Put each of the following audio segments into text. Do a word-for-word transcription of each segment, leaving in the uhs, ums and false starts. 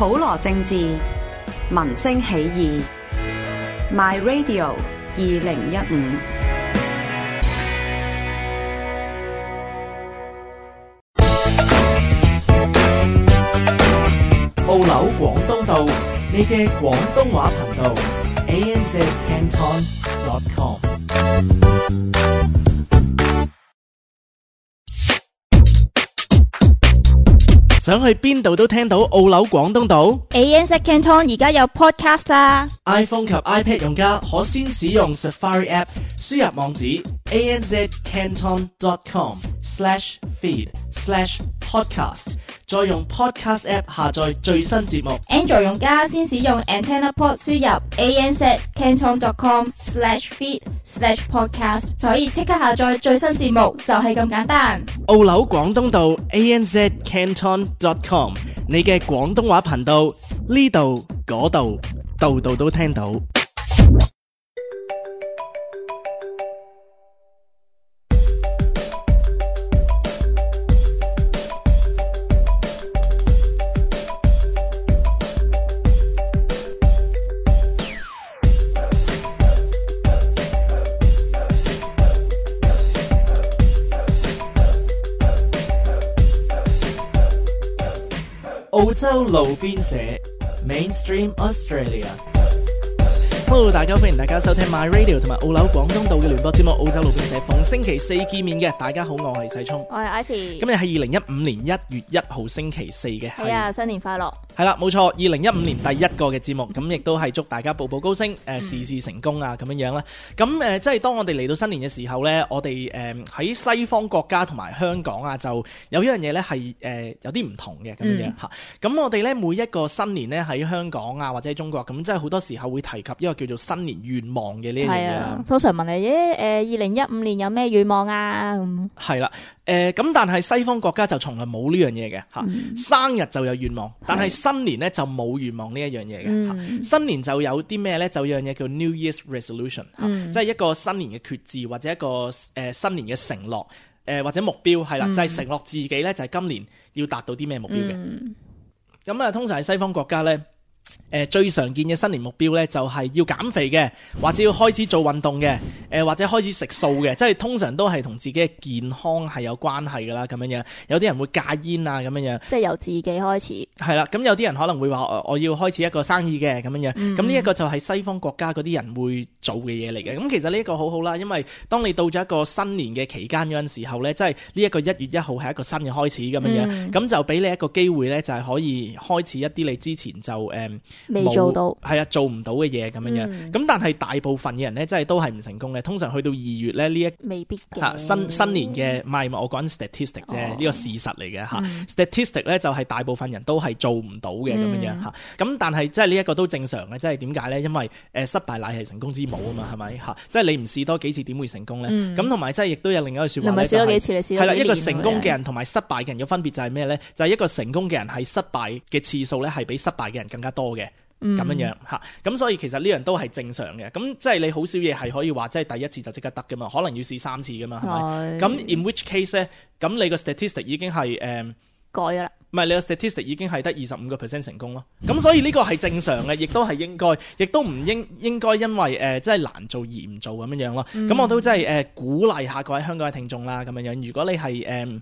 普羅政治，民聲起義 My Radio 二零一五。澳紐廣東道，你嘅廣東話頻道 A N Z Canton dot com。 想去邊度都聽到澳紐廣東道。 A N Z Canton 而家有 podcast 啦。 iPhone 及 iPad 用家可先使用 Safari App 輸入網址 A N Z Canton dot com slash feed slash podcast， 再用 Podcast App 下載最新節目。 Android 用家先使用 Antenna Port 輸入 A N Z Canton dot com slash feed slash podcast， 就可以即刻下載最新節目，就係咁簡單。澳紐廣東道 A N Z Canton dot com， 你嘅廣東話頻道，呢度嗰度度度都聽到。澳洲路邊社 Mainstream Australia。Hello， 大家歡迎大家收聽 My Radio 同埋澳紐廣東道嘅聯播節目澳洲路邊社，逢星期四見面嘅。大家好，我係細聰，我係 Ivy。今日係二零一五年一月一號星期四嘅。係啊，新年快樂。係啦，冇錯，二零一五年第一個嘅節目，咁亦都係祝大家步步高升，誒、呃、事事成功啊，咁樣樣啦。咁誒、呃，即係當我哋嚟到新年嘅時候咧，我哋誒喺西方國家同埋香港啊，就有一樣嘢咧係誒有啲唔同嘅咁樣樣吓。咁、嗯、我哋咧每一個新年咧喺香港啊或者中國，咁即係好多時候會提及一個叫做新年願望嘅呢一樣嘢啦。通常問你誒，誒二零一五年有咩願望啊？係啦。誒、呃，咁但係西方國家就從來冇呢樣嘢嘅吓，嗯、生日就有願望，但係新年咧就冇願望呢一樣嘢嘅吓。新年就有啲咩咧？就有樣嘢叫 New Year's Resolution，嗯、即係一個新年嘅決志或者一個誒、呃、新年嘅承諾，誒、呃、或者目標係啦，嗯、就係承諾自己咧就係今年要達到啲咩目標嘅。咁啊、嗯，通常喺西方國家咧。誒、呃，最常見嘅新年目標咧，就係、是、要減肥嘅，或者要開始做運動嘅，誒、呃，或者開始食素嘅，即係通常都係同自己嘅健康係有關係噶啦，咁樣樣。有啲人會戒煙啊，咁樣樣。即係由自己開始。係啦，咁有啲人可能會話，我要開始一個生意嘅，咁樣樣。咁呢一個就係西方國家嗰啲人會做嘅嘢嚟嘅。咁其實呢一個好好啦，因為當你到咗一個新年嘅期間嗰陣時候咧，即係呢一個一月一號係一個新嘅開始咁樣樣，咁、嗯、就俾你一個機會咧，就係、是、可以開始一啲你之前就誒。嗯未做到，係啊，做唔到嘅嘢咁樣樣。咁、嗯、但係大部分嘅人咧，真係都係唔成功嘅。通常去到二月咧，呢一未必嘅、啊、新新年嘅，唔係我講 statistic 啫，呢、哦、個事實嚟嘅嚇。嗯、statistic 咧就係大部分人都係做唔到嘅咁樣樣嚇。咁但係即係呢一個都正常嘅，即係點解咧？因為誒、呃、失敗乃係成功之母啊嘛，係咪嚇？即係你唔試多幾次點會成功咧？咁同埋即係亦都有另一個説話咧，唔係試多幾次，你試多幾年。係啦，一個成功嘅人同埋失敗嘅人嘅分別就係咩咧？就係、是、一個成功嘅人係失敗嘅次數咧係比失敗嘅人更加多嘅。咁樣樣嚇，咁所以其實呢樣都係正常嘅。咁即係你好少嘢係可以話，即係第一次就即刻得噶嘛？可能要試三次噶嘛，係咪？咁 in which case 咧，咁你個 statistic 已經係誒、呃、改咗啦。唔係你個 statistic 已經係得二十五個 percent 成功咯。咁所以呢個係正常嘅，亦都係應該，亦都唔應應該因為誒即係難做而唔做咁樣樣咯。咁、嗯、我都真係誒鼓勵下各位香港嘅聽眾啦，咁樣樣。如果你係誒。呃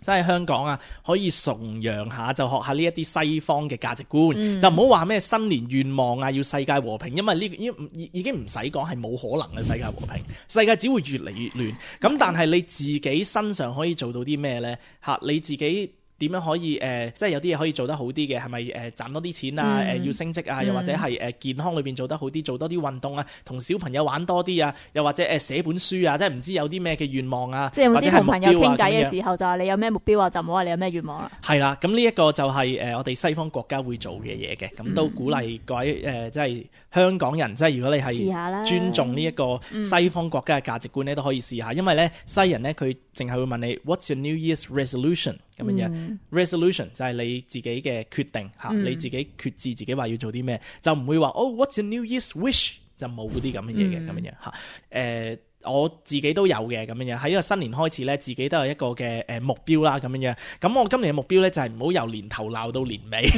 即係香港啊，可以崇洋下就學下呢一啲西方嘅價值觀，嗯、就唔好話咩新年願望啊，要世界和平，因為呢、這個、已已經唔使講係冇可能嘅世界和平，世界只會越嚟越亂。咁、嗯、但係你自己身上可以做到啲咩呢？嚇，你自己。點樣可以誒、呃，即係有啲嘢可以做得好啲嘅，係咪誒賺多啲錢啊？誒、嗯呃、要升職啊？又或者係誒、呃、健康裏邊做得好啲，做多啲運動啊，同小朋友玩多啲啊？又或者誒寫、呃、本書啊？即係唔知有啲咩嘅願望啊？即係唔知同朋友傾偈嘅時候，就係你有咩目標啊？就唔好話你有咩願望啦。係啦，咁呢一個就係、是、誒、呃、我哋西方國家會做嘅嘢嘅，咁都鼓勵各位誒、呃，即係香港人，即係如果你係尊重呢一個西方國家嘅價值觀咧，都可以試下，因為咧西人咧佢淨係會問你 What's your New Year's resolution？咁樣樣、嗯、resolution 就係你自己嘅決定嚇，嗯、你自己決志自己話要做啲咩，就唔會話哦 What's your New Year's wish 就冇啲咁嘅嘢嘅咁樣樣嚇。誒、呃，我自己都有嘅咁樣樣，喺呢個新年開始咧，自己都有一個嘅誒目標啦咁樣樣。咁我今年嘅目標咧就係唔好由年頭鬧到年尾，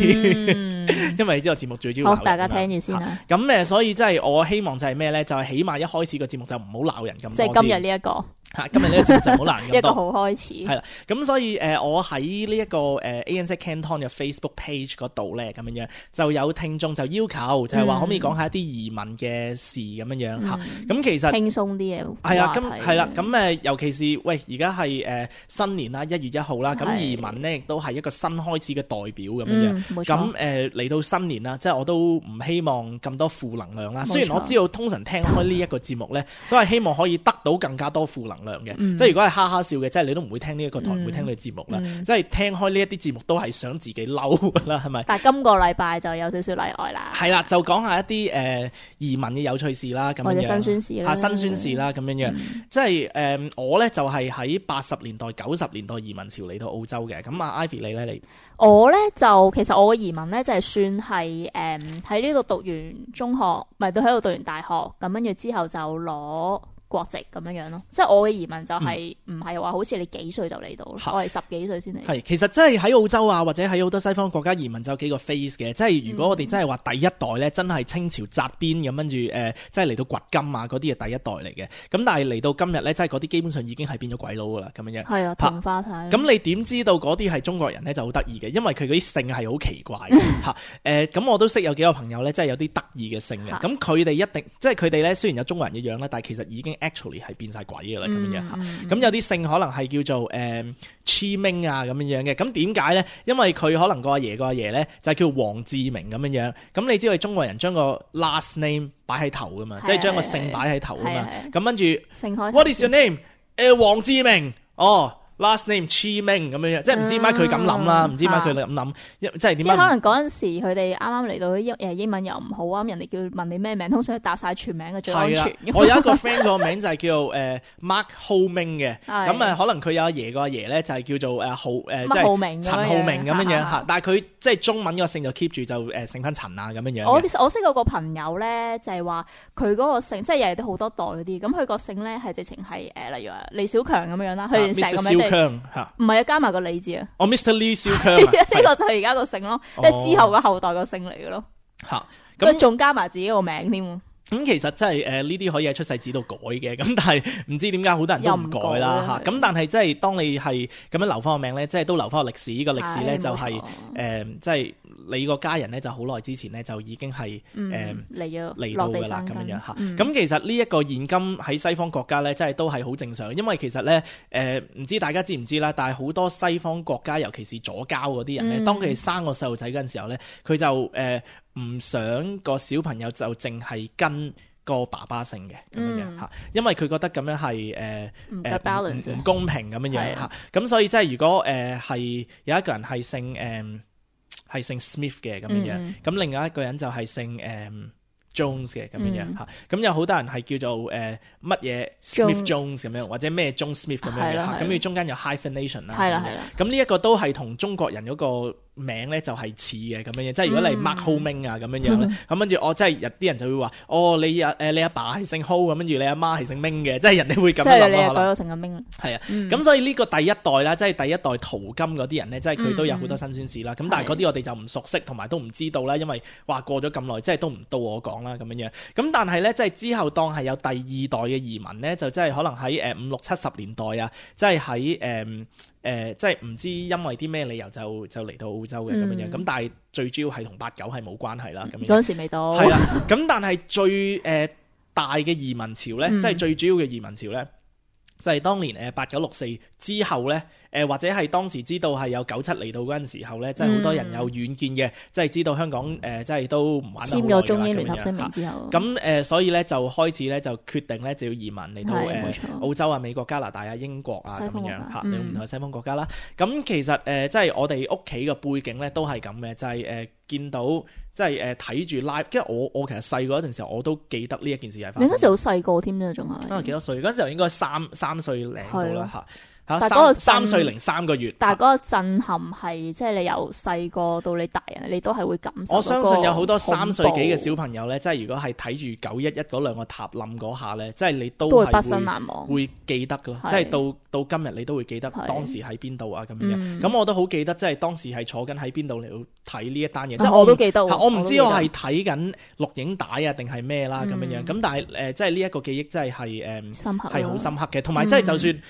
嗯、因為你知道節目最主要鬧人。好，大家聽住先啦。咁誒，所以即係我希望就係咩咧？就係、是、起碼一開始個節目就唔好鬧人咁多。即係今日呢一個。嚇！今日呢個節目就好難咁多。一個好開始。係啦，咁所以誒、呃，我喺呢一個誒 A N Z Canton 嘅 Facebook page 嗰度咧，咁樣樣就有聽眾就要求，就係、是、話可唔可以講下一啲移民嘅事咁樣樣嚇。咁、嗯、其實輕鬆啲嘅係啊，咁係啦，咁誒，尤其是喂，而家係誒新年啦，一月一號啦，咁移民咧亦都係一個新開始嘅代表咁樣樣。冇錯。咁誒嚟到新年啦，即係我都唔希望咁多負能量啦。雖然我知道通常聽開呢一個節目咧，都係希望可以得到更加多負能量嘅，嗯、即係如果係哈哈笑嘅，即係你都唔會聽呢一個台，唔、嗯、會聽呢個節目啦。嗯、即係聽開呢一啲節目都係想自己嬲啦，係咪？但係今個禮拜就有少少例外啦。係啦，就講下一啲誒、呃、移民嘅有趣事啦，咁樣或者辛酸事啦，嚇辛酸事啦，咁樣樣。嗯、即係誒、呃、我咧就係喺八十年代、九十年代移民潮嚟到澳洲嘅。咁啊，Ivy 你咧你？我咧就其實我嘅移民咧就係、是、算係誒喺呢度讀完中學，咪都喺度讀完大學，咁跟住之後就攞國籍咁樣樣咯，即係我嘅移民就係唔係話好似你幾歲就嚟到，嗯、我係十幾歲先嚟。係其實真係喺澳洲啊，或者喺好多西方國家移民就有幾個 phase 嘅，即係如果我哋真係話第一代咧，真係清朝紮邊咁跟住誒，即係嚟到掘金啊嗰啲係第一代嚟嘅。咁但係嚟到今日咧，即係嗰啲基本上已經係變咗鬼佬噶啦咁樣樣。係啊，同化晒。咁你點知道嗰啲係中國人咧就好得意嘅，因為佢嗰啲姓係好奇怪嘅嚇。誒咁、呃、我都識有幾個朋友咧，即係有啲得意嘅姓嘅。咁佢哋一定即係佢哋咧，雖然有中國人嘅樣啦，但係其實已經 actually 係變晒鬼嘅啦咁樣嚇，咁、嗯嗯、有啲姓可能係叫做誒 Chi Ming 啊咁樣樣嘅，咁點解咧？因為佢可能個阿爺個阿爺咧就係叫黃志明咁樣樣，咁你知道中國人將個 last name 擺喺頭噶嘛，即係將個姓擺喺頭啊嘛，咁跟住 What is your name？ 誒黃志明哦。Last name Chi Ming 咁樣樣，即係唔知點解佢咁諗啦，唔、嗯、知點解佢咁諗，即係點解？即係可能嗰陣時佢哋啱啱嚟到英誒英文又唔好啊，人哋叫問你咩名，通常打晒全名嘅最安全。我有一個 friend 個名就係叫誒、呃、Mark Ho Ming 嘅，咁啊可能佢有阿爺個阿爺咧就係叫做誒浩誒即係陳浩明咁樣樣嚇，但係佢即係中文個姓就 keep 住就誒姓翻陳啊咁樣樣。我我識嗰個朋友咧就係話佢嗰個姓即係又係都好多代嗰啲，咁佢個姓咧係直情係誒例如話李小強咁樣樣啦，佢成個名。唔係啊，加埋個李字啊！哦 ，Mister Lee 小強，呢個就係而家個姓咯，即係、哦、之後個後代個姓嚟嘅咯。嚇，咁仲加埋自己個名添。咁、嗯、其實真係誒呢啲可以喺出世紙度改嘅，咁但係唔知點解好多人都唔改啦嚇。咁但係即係當你係咁樣留翻個名咧，即係都留翻個歷史。呢、這個歷史咧就係誒，即係你個家人咧就好耐之前咧就已經係誒嚟咗嚟到㗎啦咁樣樣嚇。咁、嗯、其實呢一個現今喺西方國家咧，即係都係好正常，因為其實咧誒唔知大家知唔知啦，但係好多西方國家，尤其是左膠嗰啲人咧，嗯、當佢哋生個細路仔嗰陣時候咧，佢就誒。呃唔想個小朋友就淨係跟個爸爸姓嘅咁樣樣嚇，因為佢覺得咁樣係誒誒唔公平咁樣樣嚇。咁所以即係如果誒係、呃、有一個人係姓誒係、呃、姓 Smith 嘅咁樣樣，咁、嗯、另外一個人就係姓誒、呃、Jones 嘅咁樣樣嚇。咁、嗯、有好多人係叫做誒乜嘢 Smith Jones 咁樣，或者咩 Jones Smith 咁樣嘅嚇。咁佢中間有 hyphenation 啦。係啦係啦。咁呢一個都係同中國人嗰個名咧就係似嘅咁樣樣，即係如果你 Mark Ho Ming 啊咁樣樣咧，咁跟住我即係有啲人就會話，哦你阿誒你阿爸係姓 Ho，咁跟住你阿媽係姓 Ming 嘅，即係人哋會咁樣諗咯。即係你又改咗成個 Ming 啦。係啊，咁所以呢個第一代啦，即係第一代淘金嗰啲人咧，即係佢都有好多辛酸事啦。咁但係嗰啲我哋就唔熟悉，同埋都唔知道啦，因為話過咗咁耐，即係都唔到我講啦咁樣樣。咁但係咧，即係之後當係有第二代嘅移民咧，就即係可能喺誒五六七十年代啊，即係喺誒。誒、呃，即係唔知因為啲咩理由就就嚟到澳洲嘅咁樣樣，咁、嗯、但係最主要係同八九係冇關係啦。咁樣嗰陣時未到。係啦，咁但係最誒、呃、大嘅移民潮咧，嗯、即係最主要嘅移民潮咧，就係、是、當年誒八九六四之後咧。誒、呃、或者係當時知道係有九七嚟到嗰陣時候咧，即係好多人有遠見嘅，即係知道香港誒、呃，即係都唔玩得好耐啦。簽咗中英聯合聲明之後，咁誒、呃，所以咧就開始咧就決定咧就要移民嚟到誒、呃、澳洲啊、美國、加拿大啊、英國啊咁樣嚇，有唔同嘅西方國家啦。咁、嗯、其實誒、呃，即係我哋屋企嘅背景咧都係咁嘅，就係、是、誒、呃、見到即係誒睇住 live，因為我我其實細個嗰陣時候我都記得呢一件事係發生。你嗰時好細個添啊，仲係啊幾多歲？嗰陣時候應該三三歲零到啦嚇。嚇但係嗰個三三震歲零三個月。但係嗰個震撼係即係你由細個到你大人，你都係會感受到。我相信有好多三歲幾嘅小朋友咧，即係如果係睇住九一一嗰兩個塔冧嗰下咧，即係你都係都會畢生難忘，會記得噶咯。即係到到今日你都會記得當時喺邊度啊咁樣。咁、嗯、我都好記得，即係當時係坐緊喺邊度嚟睇呢一單嘢。即係我都記得，我唔知我係睇緊錄影帶啊定係咩啦咁樣樣。咁、嗯、但係誒、呃，即係呢一個記憶真係係誒係好深刻嘅。同埋即係就算。嗯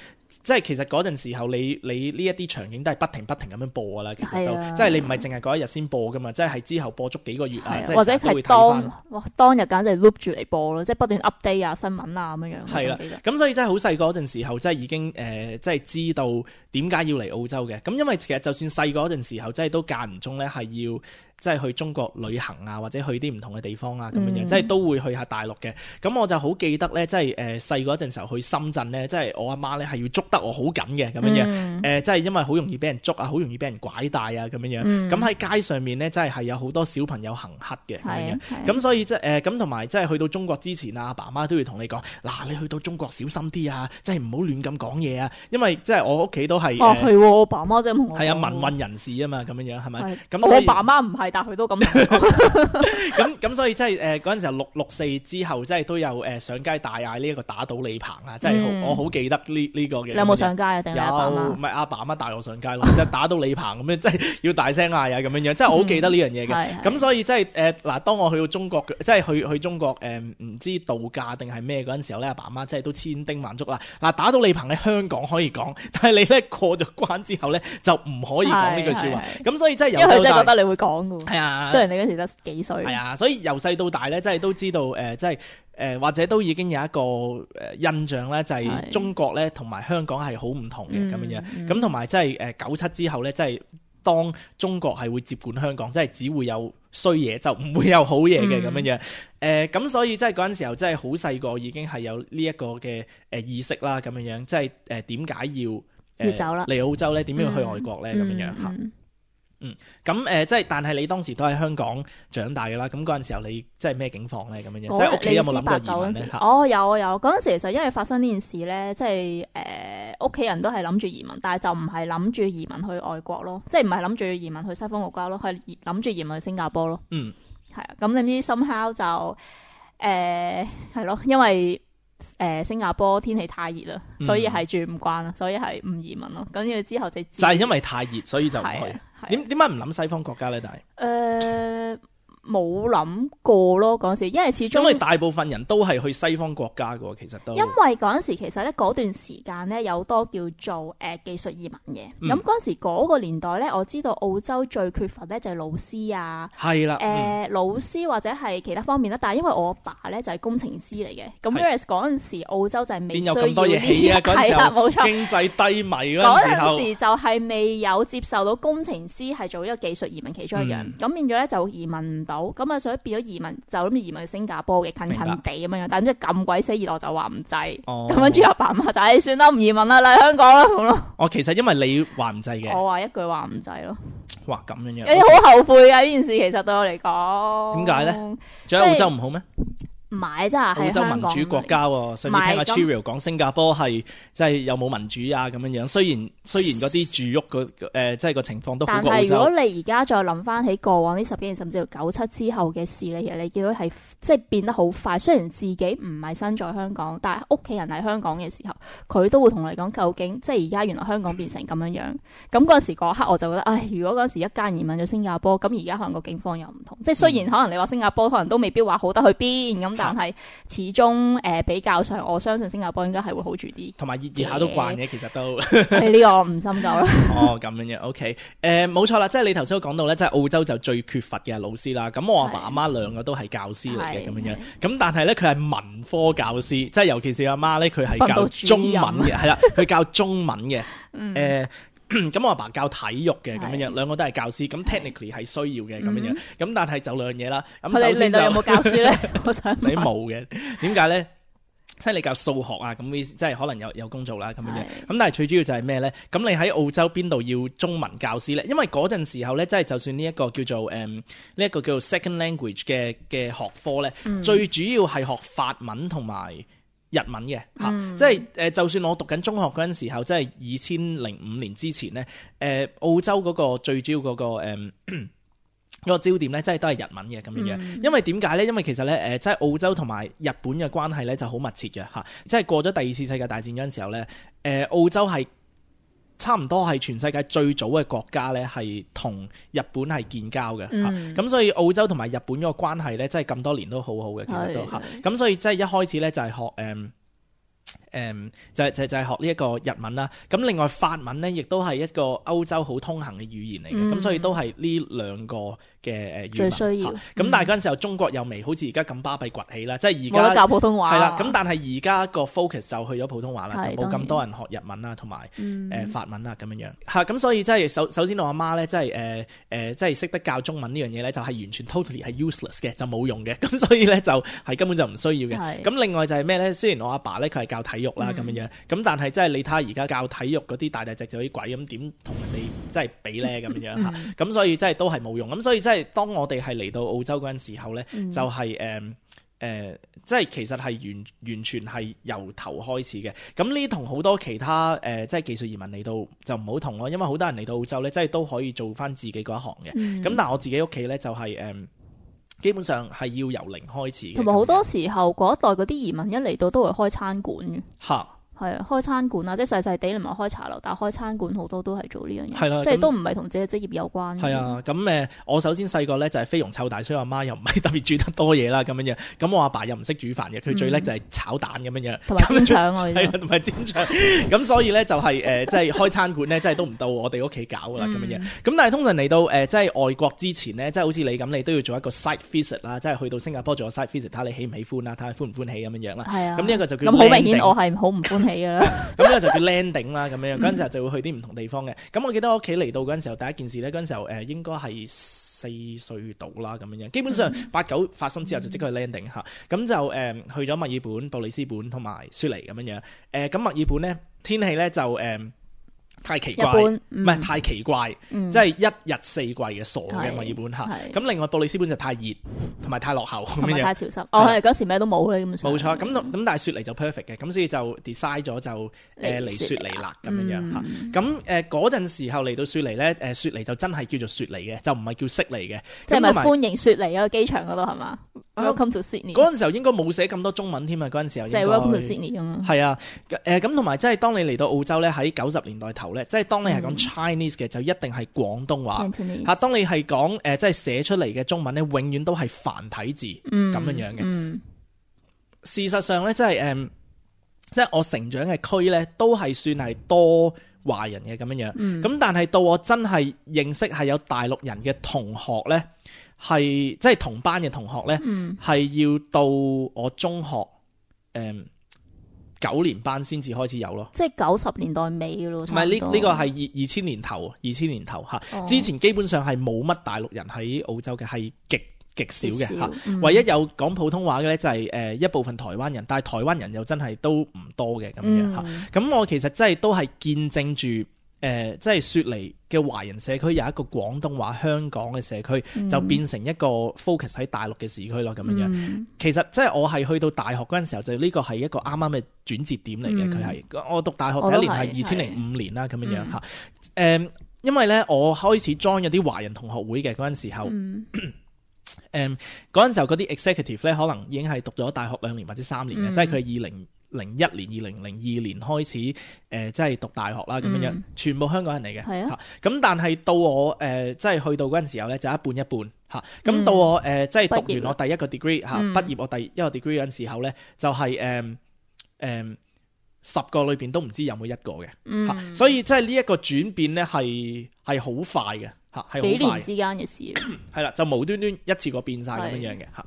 即係其實嗰陣時候你，你你呢一啲場景都係不停不停咁樣播噶啦，其實都、啊、即係你唔係淨係嗰一日先播噶嘛，即係係之後播足幾個月啊，啊即係或者係當哇當日簡直係 loop 住嚟播咯，即係不斷 update 啊新聞啊咁樣樣。係啦，咁所以真係好細個嗰陣時候，即係已經誒、呃，即係知道點解要嚟澳洲嘅。咁因為其實就算細個嗰陣時候，即係都間唔中咧係要。即係去中國旅行啊，或者去啲唔同嘅地方啊，咁樣樣，嗯、即係都會去下大陸嘅。咁我就好記得咧，即係誒細個嗰陣時候去深圳咧，即係我阿媽咧係要捉得我好緊嘅咁樣樣。誒、嗯呃，即係因為好容易俾人捉啊，好容易俾人拐帶啊，咁樣樣。咁喺、嗯、街上面咧，真係係有好多小朋友行乞嘅咁樣樣。咁所以即係誒咁同埋即係去到中國之前啊，阿爸阿媽都要同你講，嗱，你去到中國小心啲啊，即係唔好亂咁講嘢啊，因為即係我屋企都係哦係、呃、我爸媽真係同我係啊民運人士啊嘛，咁樣樣係咪？咁我爸媽唔係，但係佢都咁。咁咁所以即係誒嗰陣時候六六四之後，即係都有誒、呃、上街大嗌呢一個打倒李鵬啊！即係、嗯、我好記得呢呢、呢個嘅。你有冇上街啊？定係阿爸阿媽？有，唔係阿爸阿媽帶我上街咯，即係打倒李鵬咁樣，即係要大聲嗌啊咁樣樣。即係我好記得呢樣嘢嘅。咁、嗯、所以即係誒嗱，當我去到中國，即係去去中國誒唔、呃、知度假定係咩嗰陣時候咧，阿爸阿媽即係都千叮萬囑啦。嗱，打倒李鵬喺香港可以講，但係你咧過咗關之後咧就唔可以講呢句説話。咁所以即係由細到大，因為佢真係覺得你會講㗎喎。係啊，雖然你嗰時得幾歲。係啊，所以由細到大咧，即係都知道誒、呃，即係誒、呃，或者都已經有一個誒印象咧，就係、是、中國咧同埋香港係好唔同嘅咁樣樣。咁同埋即係誒九七之後咧，即係當中國係會接管香港，即係只會有衰嘢，就唔會有好嘢嘅咁樣樣。誒、嗯，咁、呃、所以即係嗰陣時候，即係好細個已經係有呢一個嘅誒意識啦，咁樣樣。即係誒點解要誒、呃、要走啦？嚟澳洲咧，點樣要去外國咧？咁樣樣嚇。嗯，咁誒、呃，即係，但係你當時都喺香港長大嘅啦，咁嗰陣時候你即係咩境況咧？咁樣樣，即係屋企有冇諗過移民咧？哦，有啊有，嗰陣時其實因為發生呢件事咧，即係誒屋企人都係諗住移民，但係就唔係諗住移民去外國咯，即係唔係諗住移民去西方國家咯，係諗住移民去新加坡咯。嗯，係啊，咁你知 somehow 就誒係咯，因為。誒、呃，新加坡天氣太熱啦，所以係住唔慣啦，所以係唔移民咯。跟住之後就就係因為太熱，所以就唔去。點點解唔諗西方國家咧？但係誒。呃冇諗過咯嗰陣時，因為始終因為大部分人都係去西方國家嘅，其實都因為嗰陣時其實咧嗰段時間咧有多叫做誒、呃、技術移民嘅。咁嗰陣時嗰個年代咧，我知道澳洲最缺乏咧就係老師啊，係啦，誒、呃嗯、老師或者係其他方面啦。但係因為我阿爸咧就係工程師嚟嘅，咁 whereas 嗰陣時澳洲就係未需要呢啲，係啦冇錯，經濟低迷嗰陣時候，嗰陣時就係未有接受到工程師係做一個技術移民其中一樣，咁、嗯、變咗咧就移民唔到。咁啊，所以變咗移民就諗住移民去新加坡嘅，近近地咁樣樣，但係即係咁鬼死熱，我就話唔制。咁跟住阿爸阿媽就誒算啦，唔移民啦，嚟香港啦咁咯。哦，其實因為你話唔制嘅，我話一句話唔制咯。哇，咁樣樣，有啲好後悔嘅呢件事，其實對我嚟講。點解咧？仲有澳洲唔好咩？唔係真係澳洲民主國家喎，上次聽阿 Cheerio 講新加坡係即係有冇民主啊咁樣樣。雖然雖然嗰啲住屋個誒即係個情況都好過澳洲。但係如果你而家再諗翻起過往呢十幾年，甚至乎九七之後嘅事咧，其實你見到係即係變得好快。雖然自己唔係身在香港，但係屋企人喺香港嘅時候，佢都會同你講究竟即係而家原來香港變成咁樣樣。咁嗰陣時嗰刻我就覺得，唉，如果嗰陣時一家人移民咗新加坡，咁而家可能個境況又唔同。即係雖然可能你話新加坡可能都未必話好得去邊咁。但係始終誒、呃、比較上，我相信新加坡應該係會好住啲，同埋熱熱下都慣嘅，其實都。你呢個我唔深究啦。哦，咁樣嘅 OK，誒冇錯啦，即係你頭先都講到咧，即係澳洲就最缺乏嘅係老師啦。咁我阿爸阿媽兩個都係教師嚟嘅咁樣樣，咁但係咧佢係文科教師，即係尤其是阿媽咧，佢係教中文嘅，係啦，佢教中文嘅，誒、呃。咁我阿爸教體育嘅咁樣樣，兩個都係教師，咁 technically 係需要嘅咁樣樣，咁但係就兩樣嘢啦。咁首先就有冇教書咧？我想你冇嘅，點解咧？即係你教數學啊，咁即係可能有有工做啦咁樣樣。咁但係最主要就係咩咧？咁你喺澳洲邊度要中文教師咧？因為嗰陣時候咧，即係就算呢一個叫做誒呢一個叫做 second language 嘅嘅學科咧，嗯、最主要係學法文同埋日文嘅嚇，嗯、即係誒、呃，就算我讀緊中學嗰陣時候，即係二千零五年之前咧，誒、呃、澳洲嗰個最主要嗰、那個誒。呃嗰個焦點咧，真係都係日文嘅咁樣樣。嗯、因為點解咧？因為其實咧，誒、呃，即係澳洲同埋日本嘅關係咧就好密切嘅嚇。即係過咗第二次世界大戰嗰陣時候咧，誒、呃，澳洲係差唔多係全世界最早嘅國家咧，係同日本係建交嘅嚇。咁、嗯、所以澳洲同埋日本嗰個關係咧，真係咁多年都好好嘅，其實都嚇。咁所以即係一開始咧就係學誒。呃誒、嗯、就係、是、就係、是、就係、是、學呢一個日文啦，咁另外法文咧，亦都係一個歐洲好通行嘅語言嚟嘅，咁、嗯、所以都係呢兩個嘅誒語文最需要。咁、嗯、但係嗰陣時候中國又未好似而家咁巴閉崛起啦，即係而家冇得教普通話。係啦，咁但係而家個 focus 就去咗普通話啦，就冇咁多人學日文啦，同埋誒法文啦咁樣樣。嚇、嗯，咁所以即係首首先我阿媽咧，即係誒誒，即係識得教中文呢樣嘢咧，就係完全 totally 係 useless 嘅，就冇用嘅。咁所以咧就係根本就唔需要嘅。咁另外就係咩咧？雖然我阿爸咧佢係教體育啦咁樣樣。咁但係即係你睇下而家教體育嗰啲大大隻隻嗰啲鬼咁點同人哋即係比咧咁樣樣嚇，咁、嗯、所以即係都係冇用。咁所以即係當我哋係嚟到澳洲嗰陣時候咧，嗯、就係誒誒，即係其實係完完全係由頭開始嘅。咁呢同好多其他誒、呃、即係技術移民嚟到就唔好同咯，因為好多人嚟到澳洲咧，即係都可以做翻自己嗰一行嘅。咁、嗯、但係我自己屋企咧就係、是、誒。呃基本上係要由零開始嘅，同埋好多時候嗰一代嗰啲移民一嚟到都會開餐館嘅。嚇！係啊，開餐館啊，即係細細地，你唔係開茶樓，但係開餐館好多都係做呢樣嘢，係啦，即係都唔係同自己職業有關。係啊，咁誒，我首先細個咧就係飛揚湊大，所以我阿媽又唔係特別煮得多嘢啦，咁樣樣。咁我阿爸又唔識煮飯嘅，佢最叻就係炒蛋咁樣樣，同埋煎腸啊，係啊，同埋煎腸。咁所以咧就係誒，即係開餐館咧，即係都唔到我哋屋企搞噶啦，咁樣樣。咁但係通常嚟到誒，即係外國之前咧，即係好似你咁，你都要做一個 site visit 啦，即係去到新加坡做個 site visit，睇下你喜唔喜歡啦，睇下歡唔歡喜咁樣樣啦。係啊。咁呢一個就叫咁好明顯，我係好唔歡喜噶啦。呢個就叫 landing 啦，咁樣嗰陣時候就會去啲唔同地方嘅。咁我記得我屋企嚟到嗰陣時候，第一件事咧，嗰陣時候誒應該係四歲到啦，咁樣樣。基本上八九發生之後就即刻去 landing 嚇。咁就誒去咗墨爾本、布里斯本同埋雪梨咁樣樣。誒咁墨爾本咧天氣咧就誒太奇怪，唔係、嗯、太奇怪，嗯、即係一日四季嘅傻嘅墨爾本嚇。咁另外布里斯本就太熱同埋太落後，同埋太潮濕。哦，係嗰時咩都冇咧，咁冇錯。咁咁但係雪梨就 perfect 嘅，咁所以就 decide 咗就誒嚟雪梨啦咁樣樣嚇。咁誒嗰陣時候嚟到雪梨咧，誒雪梨就真係叫做雪梨嘅，就唔係叫悉尼嘅。即係咪歡迎雪梨嗰個機場嗰度係嘛？Welcome to Sydney。嗰陣時候應該冇寫咁多中文添啊！嗰陣時候即係 Welcome to Sydney 咁啊。係啊，誒咁同埋即係當你嚟到澳洲咧，喺九十年代頭咧，即係當你係講 Chinese 嘅，就一定係廣東話嚇。當你係講誒即係寫出嚟嘅中文咧，永遠都係繁體字咁樣樣嘅。事實上咧，即係誒，即係我成長嘅區咧，都係算係多華人嘅咁樣樣。咁但係到我真係認識係有大陸人嘅同學咧。係即係同班嘅同學咧，係、嗯、要到我中學誒九、嗯、年班先至開始有咯。即係九十年代尾嘅咯。唔係呢呢個係二二千年頭，二千年頭嚇。哦、之前基本上係冇乜大陸人喺澳洲嘅，係極極少嘅嚇。少嗯、唯一有講普通話嘅咧就係誒一部分台灣人，但係台灣人又真係都唔多嘅咁樣嚇。咁、嗯、我其實真係都係見證住。誒、呃，即係雪梨嘅華人社區有一個廣東話香港嘅社區，嗯、就變成一個 focus 喺大陸嘅市區咯，咁樣樣。嗯、其實即係我係去到大學嗰陣時候，就呢個係一個啱啱嘅轉折點嚟嘅。佢係、嗯、我讀大學第一年係二千零五年啦，咁樣樣嚇。誒，因為咧我開始 join 咗啲華人同學會嘅嗰陣時候，誒嗰陣時候嗰啲 executive 咧可能已經係讀咗大學兩年或者三年嘅，嗯、即係佢係二零零一年、二零零二年開始誒、呃，即係讀大學啦，咁樣樣，嗯、全部香港人嚟嘅。係啊，咁但係到我誒、呃，即係去到嗰陣時候咧，就一半一半嚇。咁、嗯、到我誒、呃，即係讀完我第一個 degree 嚇，畢業我第一個 degree 嗰陣時候咧，就係誒誒十個裏邊都唔知有冇一個嘅嚇。嗯、所以即係呢一個轉變咧，係係好快嘅嚇，係幾年之間嘅事。係啦，就無端端一次過變晒咁樣樣嘅嚇。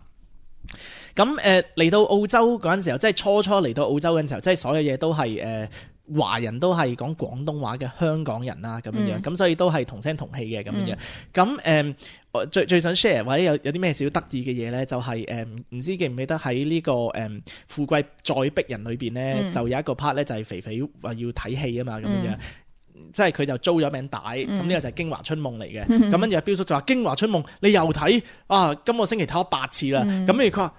咁誒嚟到澳洲嗰陣時候，即係初初嚟到澳洲嗰陣時候，即係所有嘢都係誒、呃、華人都係講廣東話嘅香港人啦，咁樣樣，咁、嗯、所以都係同聲同氣嘅咁樣樣。咁誒、嗯呃，最最想 share 或者有有啲咩小得意嘅嘢咧，就係誒唔知記唔記得喺呢、這個誒、嗯、富貴再逼人裏邊咧，嗯、就有一個 part 咧，就係肥肥話要睇戲啊嘛，咁樣樣。嗯即係佢就租咗名帶，咁呢、嗯、個就係《京華春夢》嚟嘅。咁跟住阿標叔就話《京華春夢》你又睇啊？今個星期睇咗八次啦。咁跟住佢話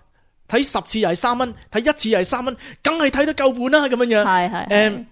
睇睇十次又係三蚊，睇一次又係三蚊，梗係睇得夠本啦咁樣樣。係係誒，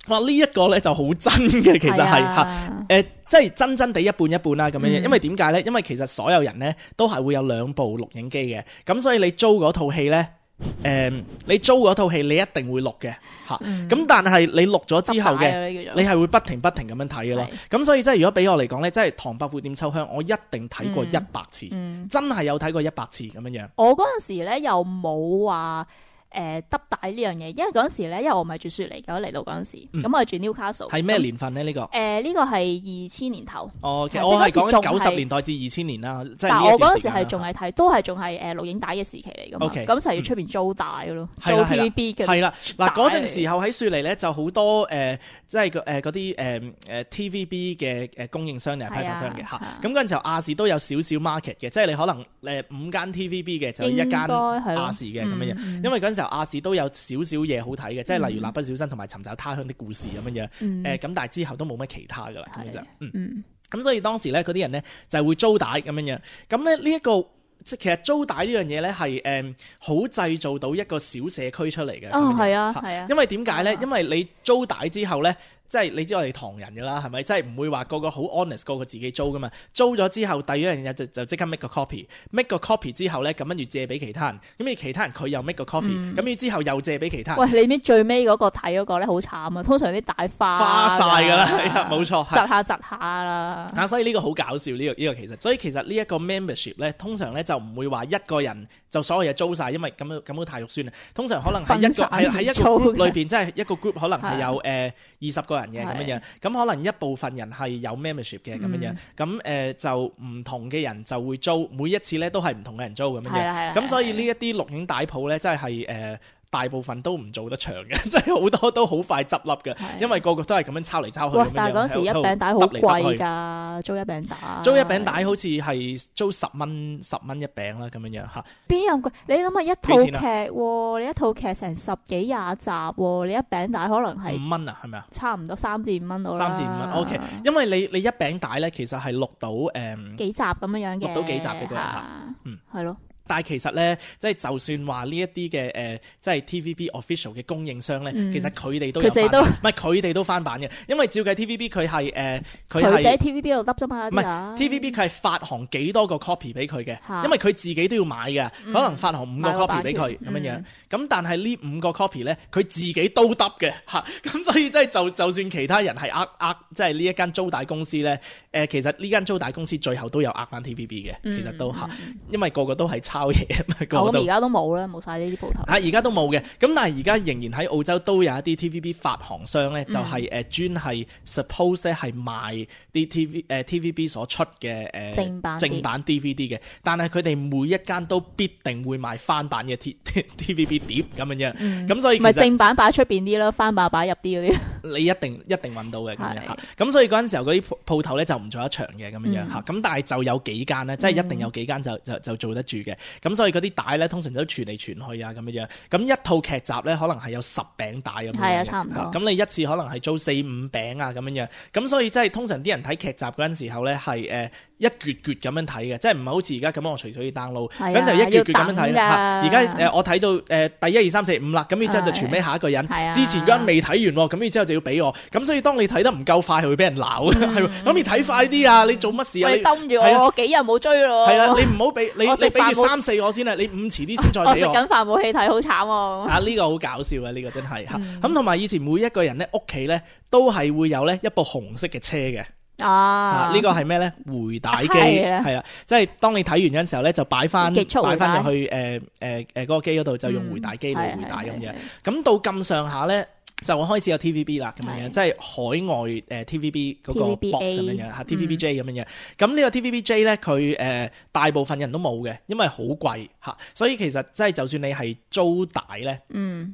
哇！呢一個咧就好真嘅，其實係嚇誒，即係真真地一半一半啦咁樣樣。因為點解咧？因為其實所有人咧都係會有兩部錄影機嘅，咁所以你租嗰套戲咧。誒、嗯，你租嗰套戲你一定會錄嘅吓，咁、嗯、但係你錄咗之後嘅，你係會不停不停咁樣睇嘅咯。咁所以即係如果俾我嚟講咧，即係《唐伯虎點秋香》，我一定睇過一百次，嗯嗯、真係有睇過一百次咁樣樣。我嗰陣時咧又冇話。誒，得帶呢樣嘢，因為嗰陣時咧，因為我唔係住雪梨嘅，嚟到嗰陣時，咁、嗯、我係住 Newcastle。係咩年份咧？呢、這個誒，呢個係二千年頭。哦，其實我係講九十年代至二千年啦。但係我嗰陣時係仲係睇，都係仲係誒錄影帶嘅時期嚟噶嘛。咁就係要出邊租帶嘅咯，租 T V B 嘅。係啦，嗱嗰陣時候喺雪梨咧就好多誒，即係誒嗰啲誒誒 T V B 嘅誒供應商定係批發商嘅吓。咁嗰陣時候亞視都有少少 market 嘅，即係你可能誒五間 T V B 嘅就一間亞視嘅咁樣樣，因為嗰陣時候亞視都有。少少嘢好睇嘅，即係例如蠟筆小新同埋尋找他鄉的故事咁樣樣，誒、嗯，咁、呃、但係之後都冇乜其他噶啦，咁樣就，嗯，咁、嗯、所以當時咧嗰啲人咧就係會租帶咁樣樣，咁咧呢一個即係其實租帶呢樣嘢咧係誒好製造到一個小社區出嚟嘅，哦，係啊，係啊，因為點解咧？啊、因為你租帶之後咧。即係你知我哋唐人㗎啦，係咪？即係唔會話個個好 honest，個個自己租㗎嘛。租咗之後，第二樣嘢就就即刻 make 個 copy，make 個 copy 之後咧，咁跟住借俾其他人。咁而其他人佢又 make 個 copy，咁之後又借俾其他人。喂，你知最尾嗰個睇嗰個咧好慘啊！通常啲帶花花晒㗎啦，係啊，冇錯，窒下窒下啦。啊，所以呢個好搞笑呢、呢個呢、呢個其實，所以其實呢一個 membership 咧，通常咧就唔會話一個人就所有嘢租晒，因為咁樣咁樣太肉酸啦。通常可能係一個係喺一個 group 裏邊，即係一個 group 可能係有誒二十個人嘅咁樣樣。咁可能一部分人係有 membership 嘅咁樣樣，咁誒、呃、就唔同嘅人就會租，每一次咧都係唔同嘅人租咁樣樣，咁所以呢一啲錄影帶鋪咧，真係誒大部分都唔做得長嘅，即係好多都好快執笠嘅，因為個個都係咁樣抄嚟抄去。哇！但係嗰時一餅帶好貴㗎，租一餅帶。租一餅帶好似係租十蚊十蚊一餅啦，咁樣樣嚇。邊有貴？你諗下一套劇喎，你一套劇成十幾廿集喎，你一餅帶可能係五蚊啊，係咪啊？差唔多三至五蚊到啦。三至五蚊 OK，因為你你一餅帶咧，其實係錄到誒、嗯、幾集咁樣樣嘅，錄到幾集嘅啫嚇。嗯，係咯。但係其實咧，即係就算話呢一啲嘅誒，即係 T V B official 嘅供應商咧，嗯、其實佢哋都有翻版，唔係佢哋都翻版嘅，因為照計 T V B 佢係誒，佢係喺 T V B 度得啫嘛，唔係 T V B 佢係發行幾多個 copy 俾佢嘅，啊、因為佢自己都要買嘅，嗯、可能發行五個 copy 俾佢咁樣樣，咁、嗯、但係呢五個 copy 咧，佢自己都得嘅嚇，咁所以即係就就算其他人係呃呃，即係呢一間租帶公司咧，誒、呃、其實呢間租帶公司最後都有呃翻 T V B 嘅，其實都嚇，嗯、因為個個都係抄嘢啊嘛。咁而家都冇啦，冇晒呢啲鋪頭。啊，而家都冇嘅，咁但係而家仍然喺澳洲都有一啲 T V B 發行商咧，就係誒專係 suppose 咧係賣啲 T V 誒 T V B 所出嘅誒正版正版 D V D 嘅，但係佢哋每一間都必定會賣翻版嘅 T T V B 碟咁樣樣，咁、嗯、所以唔係正版擺喺出邊啲咯，翻版擺入啲嗰啲。你一定一定揾到嘅咁樣嚇，咁所以嗰陣時候嗰啲鋪頭咧就唔做一場嘅咁樣樣嚇，咁、嗯、但係就有幾間咧，即係一定有幾間就就就做得住嘅，咁所以嗰啲帶咧通常都傳嚟傳去啊咁樣樣，咁一套劇集咧可能係有十餅帶咁樣，係啊差唔多。咁你一次可能係租四五餅啊咁樣樣，咁所以即係通常啲人睇劇集嗰陣時候咧係誒一撅撅咁樣睇嘅，即係唔係好似而家咁我隨隨 download，咁就一撅撅咁樣睇啦。而家誒我睇到誒第一二三四五啦，咁然之後就傳俾下一個人，之前嗰人未睇完，咁然之後就要俾我，咁所以當你睇得唔夠快係會俾人鬧嘅，係咁你睇快啲啊！你做乜事啊？你瞪住我，我幾日冇追咯。係啊，你唔好俾你你俾住三四我先啊，你五遲啲先再俾我。我食緊飯冇戲睇，好慘喎。啊呢個好搞笑啊！呢個真係嚇，咁同埋以前每一個人咧屋企咧都係會有咧一部紅色嘅車嘅。啊！呢個係咩咧？回帶機係啊，即係當你睇完嗰陣時候咧，就擺翻擺翻入去誒誒誒嗰個機嗰度，就用回帶機嚟回帶咁樣。咁到咁上下咧，就開始有 T V B 啦，咁樣樣，即係海外誒 T V B 嗰個 box 咁樣樣嚇 T V B J 咁樣樣。咁呢個 T V B J 咧，佢誒大部分人都冇嘅，因為好貴嚇，所以其實即係就算你係租帶咧，嗯，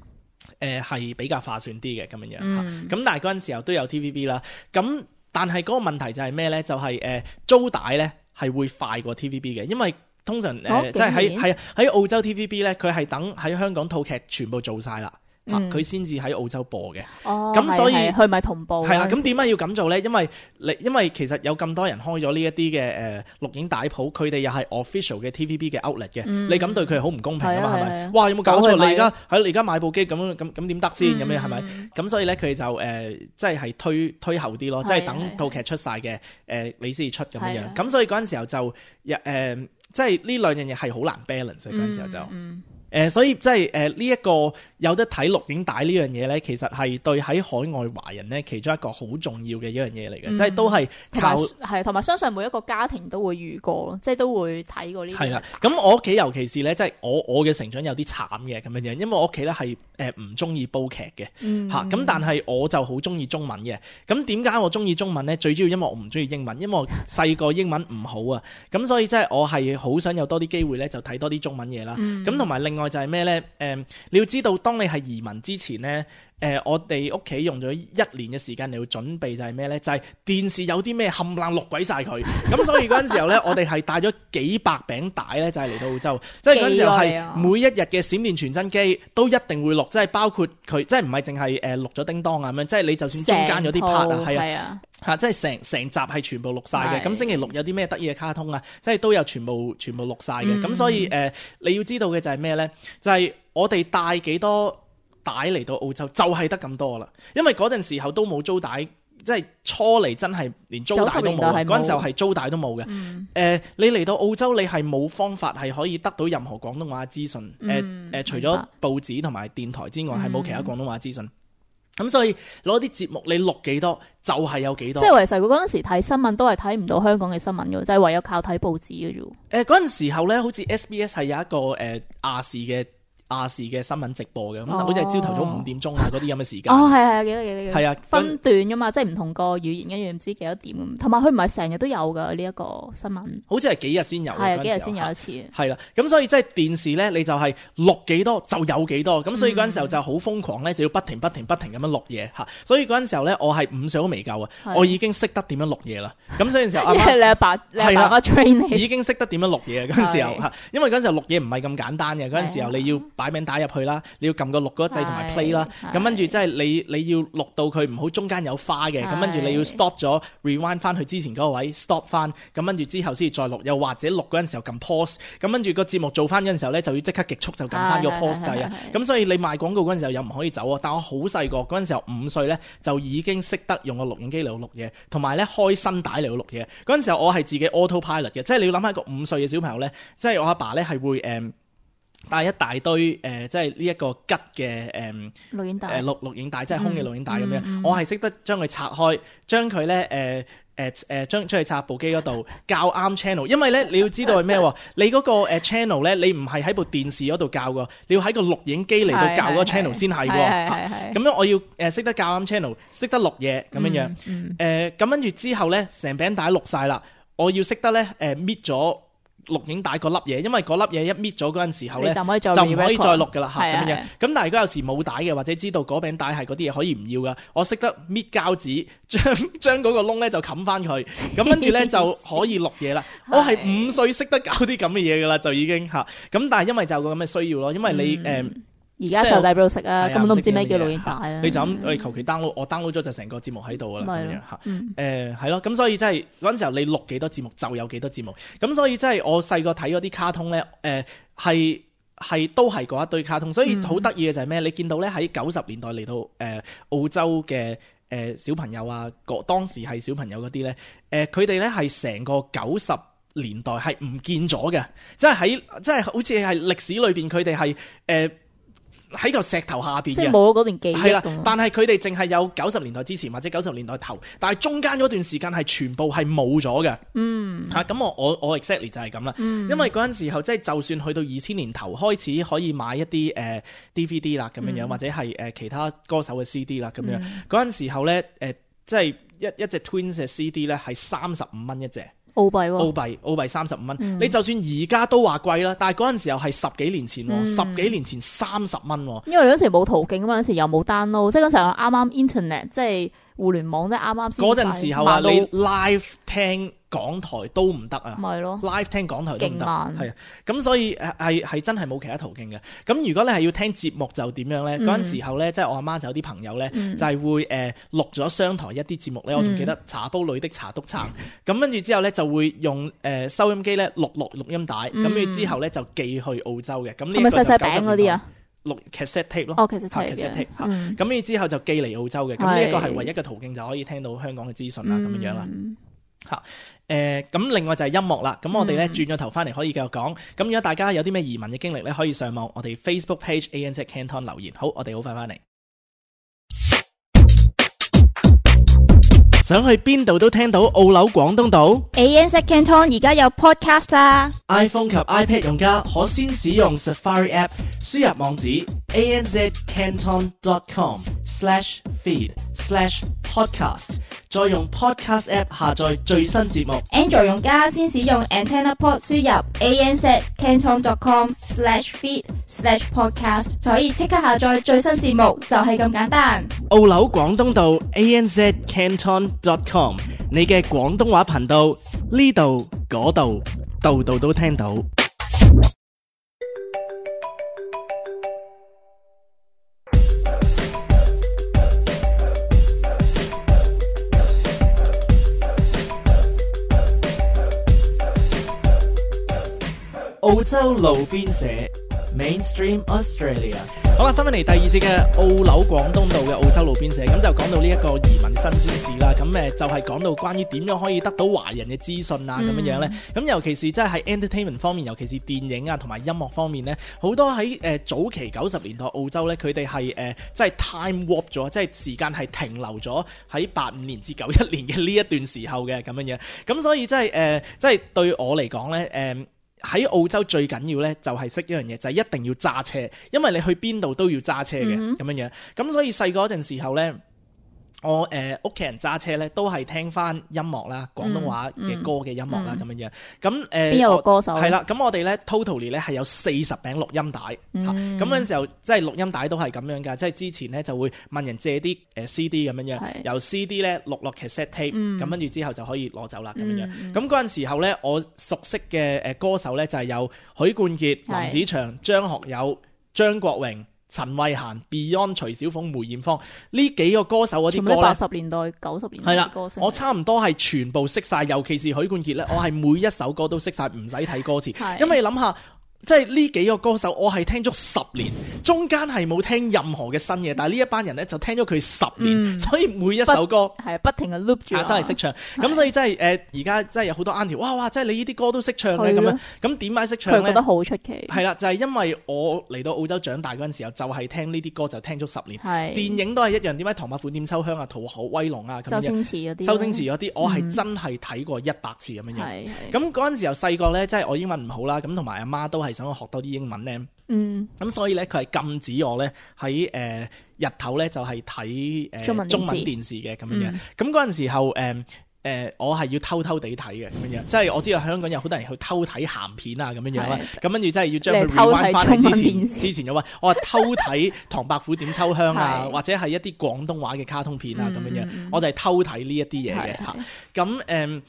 誒係比較划算啲嘅咁樣樣嚇。咁但係嗰陣時候都有 T V B 啦，咁。但係嗰個問題就係咩咧？就係、是、誒、呃、租帶咧係會快過 T V B 嘅，因為通常誒、呃哦、即係喺喺喺澳洲 T V B 咧，佢係等喺香港套劇全部做晒啦，嚇，佢先至喺澳洲播嘅。哦，咁所以佢咪同步係啦。咁點解要咁做咧？因為你因為其實有咁多人開咗呢一啲嘅誒錄影帶鋪，佢哋又係 official 嘅 T V B 嘅 outlet 嘅，嗯、你咁對佢係好唔公平噶嘛？係咪？啊、哇！有冇搞錯？你你而家喺你而家買部機咁樣咁咁點得先？咁樣係咪？咁所以咧佢就誒、呃、即係係推推後啲咯，即係等套劇出晒嘅誒你先至出咁樣樣。咁所以嗰陣時候就誒、呃、即係呢兩樣嘢係好難 balance 嗰陣時候就。嗯嗯誒、呃，所以即係誒呢一個有得睇錄影帶呢樣嘢咧，其實係對喺海外華人咧其中一個好重要嘅一樣嘢嚟嘅，嗯、即係都係靠係同埋相信每一個家庭都會遇過咯，即係都會睇過呢啲。係啦，咁我屋企尤其是咧，即係我我嘅成長有啲慘嘅咁樣樣，因為我屋企咧係誒唔中意煲劇嘅嚇，咁、嗯、但係我就好中意中文嘅。咁點解我中意中文咧？最主要因為我唔中意英文，因為我細個英文唔好啊，咁所以即係我係好想有多啲機會咧，就睇多啲中文嘢啦。咁同埋另外就係咩咧？誒、呃，你要知道，當你係移民之前咧，誒、呃，我哋屋企用咗一年嘅時間嚟去準備就係咩咧？就係、是、電視有啲咩冚唪唥錄鬼晒佢，咁所以嗰陣時候咧，我哋係帶咗幾百餅帶咧，就係嚟到澳洲，即係嗰陣時候係每一日嘅閃電傳真機都一定會錄，即係包括佢，即係唔係淨係誒錄咗叮當啊咁樣，即係你就算中間有啲 part 啊，係啊，嚇，即係成成集係全部錄晒嘅。咁星期六有啲咩得意嘅卡通啊，即係都有全部全部錄晒嘅。咁、嗯、所以誒、呃，你要知道嘅就係咩咧？就係、是、我哋帶幾多帶嚟到澳洲就係得咁多啦，因為嗰陣時候都冇租帶，即係初嚟真係連租帶都冇，嗰陣時候係租帶都冇嘅。誒、嗯呃，你嚟到澳洲，你係冇方法係可以得到任何廣東話資訊。誒、嗯、誒、呃，除咗報紙同埋電台之外，係冇、嗯、其他廣東話資訊。咁所以攞啲節目你錄幾多就係、是、有幾多。即係為實佢嗰陣時睇新聞都係睇唔到香港嘅新聞嘅，就係、是、唯有靠睇報紙嘅啫。誒、呃，嗰陣時候咧，好似 S B S 係有一個誒亞視嘅。亞視嘅新聞直播嘅，咁、哦、好似係朝頭早五點鐘啊嗰啲咁嘅時間。哦，係係幾多幾多幾多？係啊，分段噶嘛，即係唔同個語言，跟住唔知幾多點咁。同埋佢唔係成日都有噶呢一個新聞。好似係幾日先有。係啊，幾日先有一次。係啦，咁所以即係電視咧，你就係錄幾多就有幾多。咁、嗯、所以嗰陣時候就好瘋狂咧，就要不停不停不停咁樣錄嘢嚇。所以嗰陣時候咧，我係五歲都未夠啊，我已經識得點樣錄嘢啦。咁所以時候阿媽，你阿爸你阿爸 train 你，已經識得點樣錄嘢嗰陣時候嚇。因為嗰陣時候錄嘢唔係咁簡單嘅，嗰陣時候你要擺名打入去啦。你要撳個錄嗰個掣同埋 play 啦，咁跟住即係你你要錄到佢唔好中間有花嘅，咁跟住你要 stop 咗 rewind 翻去之前嗰個位 stop 翻，咁跟住之後先再錄，又或者錄嗰陣時候撳 pause，咁跟住個節目做翻嗰陣時候咧就要即刻極速就撳翻個 pause 掣啊，咁所以你賣廣告嗰陣時候又唔可以走啊，但我好細個嗰陣時候五歲咧就已經識得用個錄影機嚟錄嘢，同埋咧開新帶嚟錄嘢，嗰陣時候我係自己 autopilot 嘅，即係你要諗下一個五歲嘅小朋友咧，即係我阿爸咧係會誒。嗯帶一大堆誒、呃，即係呢一個吉嘅誒錄影帶，誒錄錄影帶，即係空嘅錄影帶咁樣。嗯嗯、我係識得將佢拆開，將佢咧誒誒誒將將佢插部機嗰度校啱 channel。因為咧你要知道係咩喎？你嗰個誒 channel 咧，你唔係喺部電視嗰度校㗎，你要喺個錄影機嚟到校嗰個 channel 先係喎。咁樣我要誒識得校啱 channel，識得錄嘢咁樣樣。誒、嗯、咁跟住之後咧，成餅帶錄晒啦，我要識得咧誒搣咗錄影帶嗰粒嘢，因為嗰粒嘢一搣咗嗰陣時候咧，就唔可以再錄噶啦嚇咁樣。咁但係如果有時冇帶嘅，或者知道嗰餅帶係嗰啲嘢可以唔要噶，我識得搣膠紙，將將嗰個窿咧就冚翻佢，咁跟住咧就可以錄嘢啦。我係五歲識得搞啲咁嘅嘢噶啦，就已經嚇。咁但係因為就有個咁嘅需要咯，因為你誒。嗯而家細路仔邊度識啊？根本都唔知咩叫錄影帶啊！你就咁，我求其 download，我 download 咗就成個節目喺度啦，咁樣嚇。誒係咯，咁所以即係嗰陣時候你錄幾多節目就有幾多節目。咁所以即係我細個睇嗰啲卡通咧，誒係係都係嗰一堆卡通。所以好得意嘅就係咩？你見到咧喺九十年代嚟到誒、呃、澳洲嘅誒、呃、小朋友啊，個當時係小朋友嗰啲咧，誒佢哋咧係成個九十年代係唔見咗嘅，即係喺即係好似係歷史裏邊佢哋係誒。呃喺個石頭下邊嘅，即係冇嗰段記憶。係啦，但係佢哋淨係有九十年代之前或者九十年代頭，但係中間嗰段時間係全部係冇咗嘅。嗯，嚇咁、啊、我我我 exactly 就係咁啦。嗯、因為嗰陣時候即係就算去到二千年頭開始可以買一啲誒、呃、D V D 啦咁樣樣，嗯、或者係誒、呃、其他歌手嘅 C D 啦咁樣。嗰陣、嗯、時候咧誒、呃，即係一一隻 Twins 嘅 C D 咧係三十五蚊一隻。澳幣喎，澳幣澳幣三十五蚊。嗯、你就算而家都話貴啦，但係嗰陣時候係十幾年前喎，嗯、十幾年前三十蚊喎。因為你嗰時冇途徑啊嘛，嗰時又冇 download，即係嗰時候啱啱 internet，即係互聯網即係啱啱先。嗰陣時候啊，你 live 聽港台都唔得啊，咪咯 live 聽港台都唔得，勁慢係啊，咁所以誒係係真係冇其他途徑嘅。咁如果你係要聽節目就點樣咧？嗰陣、嗯、時候咧，即係我阿媽就有啲朋友咧，嗯、就係會誒、呃、錄咗商台一啲節目咧，我仲記得茶煲裏的茶督撐，咁跟住之後咧就會用誒、呃、收音機咧錄錄錄音帶，咁跟住之後咧就寄去澳洲嘅。咁呢係咪細細餅嗰啲啊？錄 cassette tape 咯，哦 cassette tape 嘅，嗯，咁呢之後就寄嚟澳洲嘅，咁呢一個係唯一嘅途徑就可以聽到香港嘅資訊啦，咁、嗯、樣樣啦，嚇，誒，咁另外就係音樂啦，咁我哋咧轉咗頭翻嚟可以繼續講，咁如果大家有啲咩移民嘅經歷咧，可以上網我哋 Facebook page A N Z Canton 留言，好，我哋好快翻嚟。想去邊度都聽到澳紐廣東島 A N Z Canton 而家有 podcast 啦 ，iPhone 及 iPad 用家可先使用 Safari App， 輸入網址 a n z canton dot com slash feed slash podcast， 再用 Podcast App 下載最新節目。Android 用家先使用 Antenna Port 輸入 a n z canton dot com slash feed slash podcast， 就可以即刻下載最新節目，就係咁簡單。澳紐廣東道 A N Z Canton dot com， 你嘅廣東話頻道，呢度嗰度度度都聽到。澳洲路邊社 Mainstream Australia。好啦，翻返嚟第二節嘅澳紐廣東道嘅澳洲路邊社，咁就講到呢一個移民辛酸史啦。咁誒就係講到關於點樣可以得到華人嘅資訊啊，咁樣樣咧。咁尤其是即係喺 entertainment 方面，尤其是電影啊同埋音樂方面咧，好多喺誒、呃、早期九十年代澳洲咧，佢哋係誒即係 time warp 咗，即係時間係停留咗喺八五年至九一年嘅呢一段時候嘅咁樣樣。咁所以即係誒即係對我嚟講咧誒。呃喺澳洲最緊要咧就係識一樣嘢，就係、是、一定要揸車，因為你去邊度都要揸車嘅咁樣樣。咁所以細個嗰陣時候咧，我誒屋企人揸車咧都係聽翻音樂啦，廣東話嘅歌嘅音樂啦咁樣樣。咁誒邊有個歌手？係啦，咁我哋咧 totally 咧係有四十餅錄音帶。咁嗰陣時候即係錄音帶都係咁樣㗎，即係之前咧就會問人借啲誒 C D 咁樣樣，由 C D 咧錄落 cassette tape，咁跟住之後就可以攞走啦咁樣樣。咁嗰陣時候咧，我熟悉嘅誒歌手咧就係有許冠傑、林子祥、張學友、張國榮、陳慧嫻、Beyond、徐小鳳、梅艷芳呢幾個歌手嗰啲歌咧，八十年代、九十年代嘅歌星，我差唔多係全部識晒，尤其是許冠傑咧，我係每一首歌都識晒，唔使睇歌詞，因為你諗下。即係呢幾個歌手，我係聽咗十年，中間係冇聽任何嘅新嘢，但係呢一班人咧就聽咗佢十年，嗯、所以每一首歌係不，不停嘅 loop 住，都係識唱。咁所以真係誒，而家真係有好多 auntie， 哇哇，真係你呢啲歌都識唱嘅咁樣。咁點解識唱咧？佢覺得好出奇。係啦，就係、是、因為我嚟到澳洲長大嗰陣時候，就係、是、聽呢啲歌就聽咗十年。係電影都係一樣，點解《唐伯虎點秋香》啊，《逃學威龍》啊，周星馳嗰啲，周星馳嗰啲，我係真係睇過一百次咁樣樣。咁嗰陣時候細個咧，即係我英文唔好啦，咁同埋阿媽都係想我學多啲英文。嗯，咁所以咧，佢係禁止我咧喺誒日頭咧就係睇誒中文電視嘅咁樣樣。咁嗰陣時候誒誒、呃呃，我係要偷偷地睇嘅咁樣樣，即係我知道香港有好多人去偷睇鹹片啊咁樣樣啦。咁跟住即係要將佢 rewind 翻去之前，之前有話我係偷睇《唐伯虎點秋香》啊，或者係一啲廣東話嘅卡通片啊咁樣樣，我就係偷睇呢一啲嘢嘅嚇。咁誒。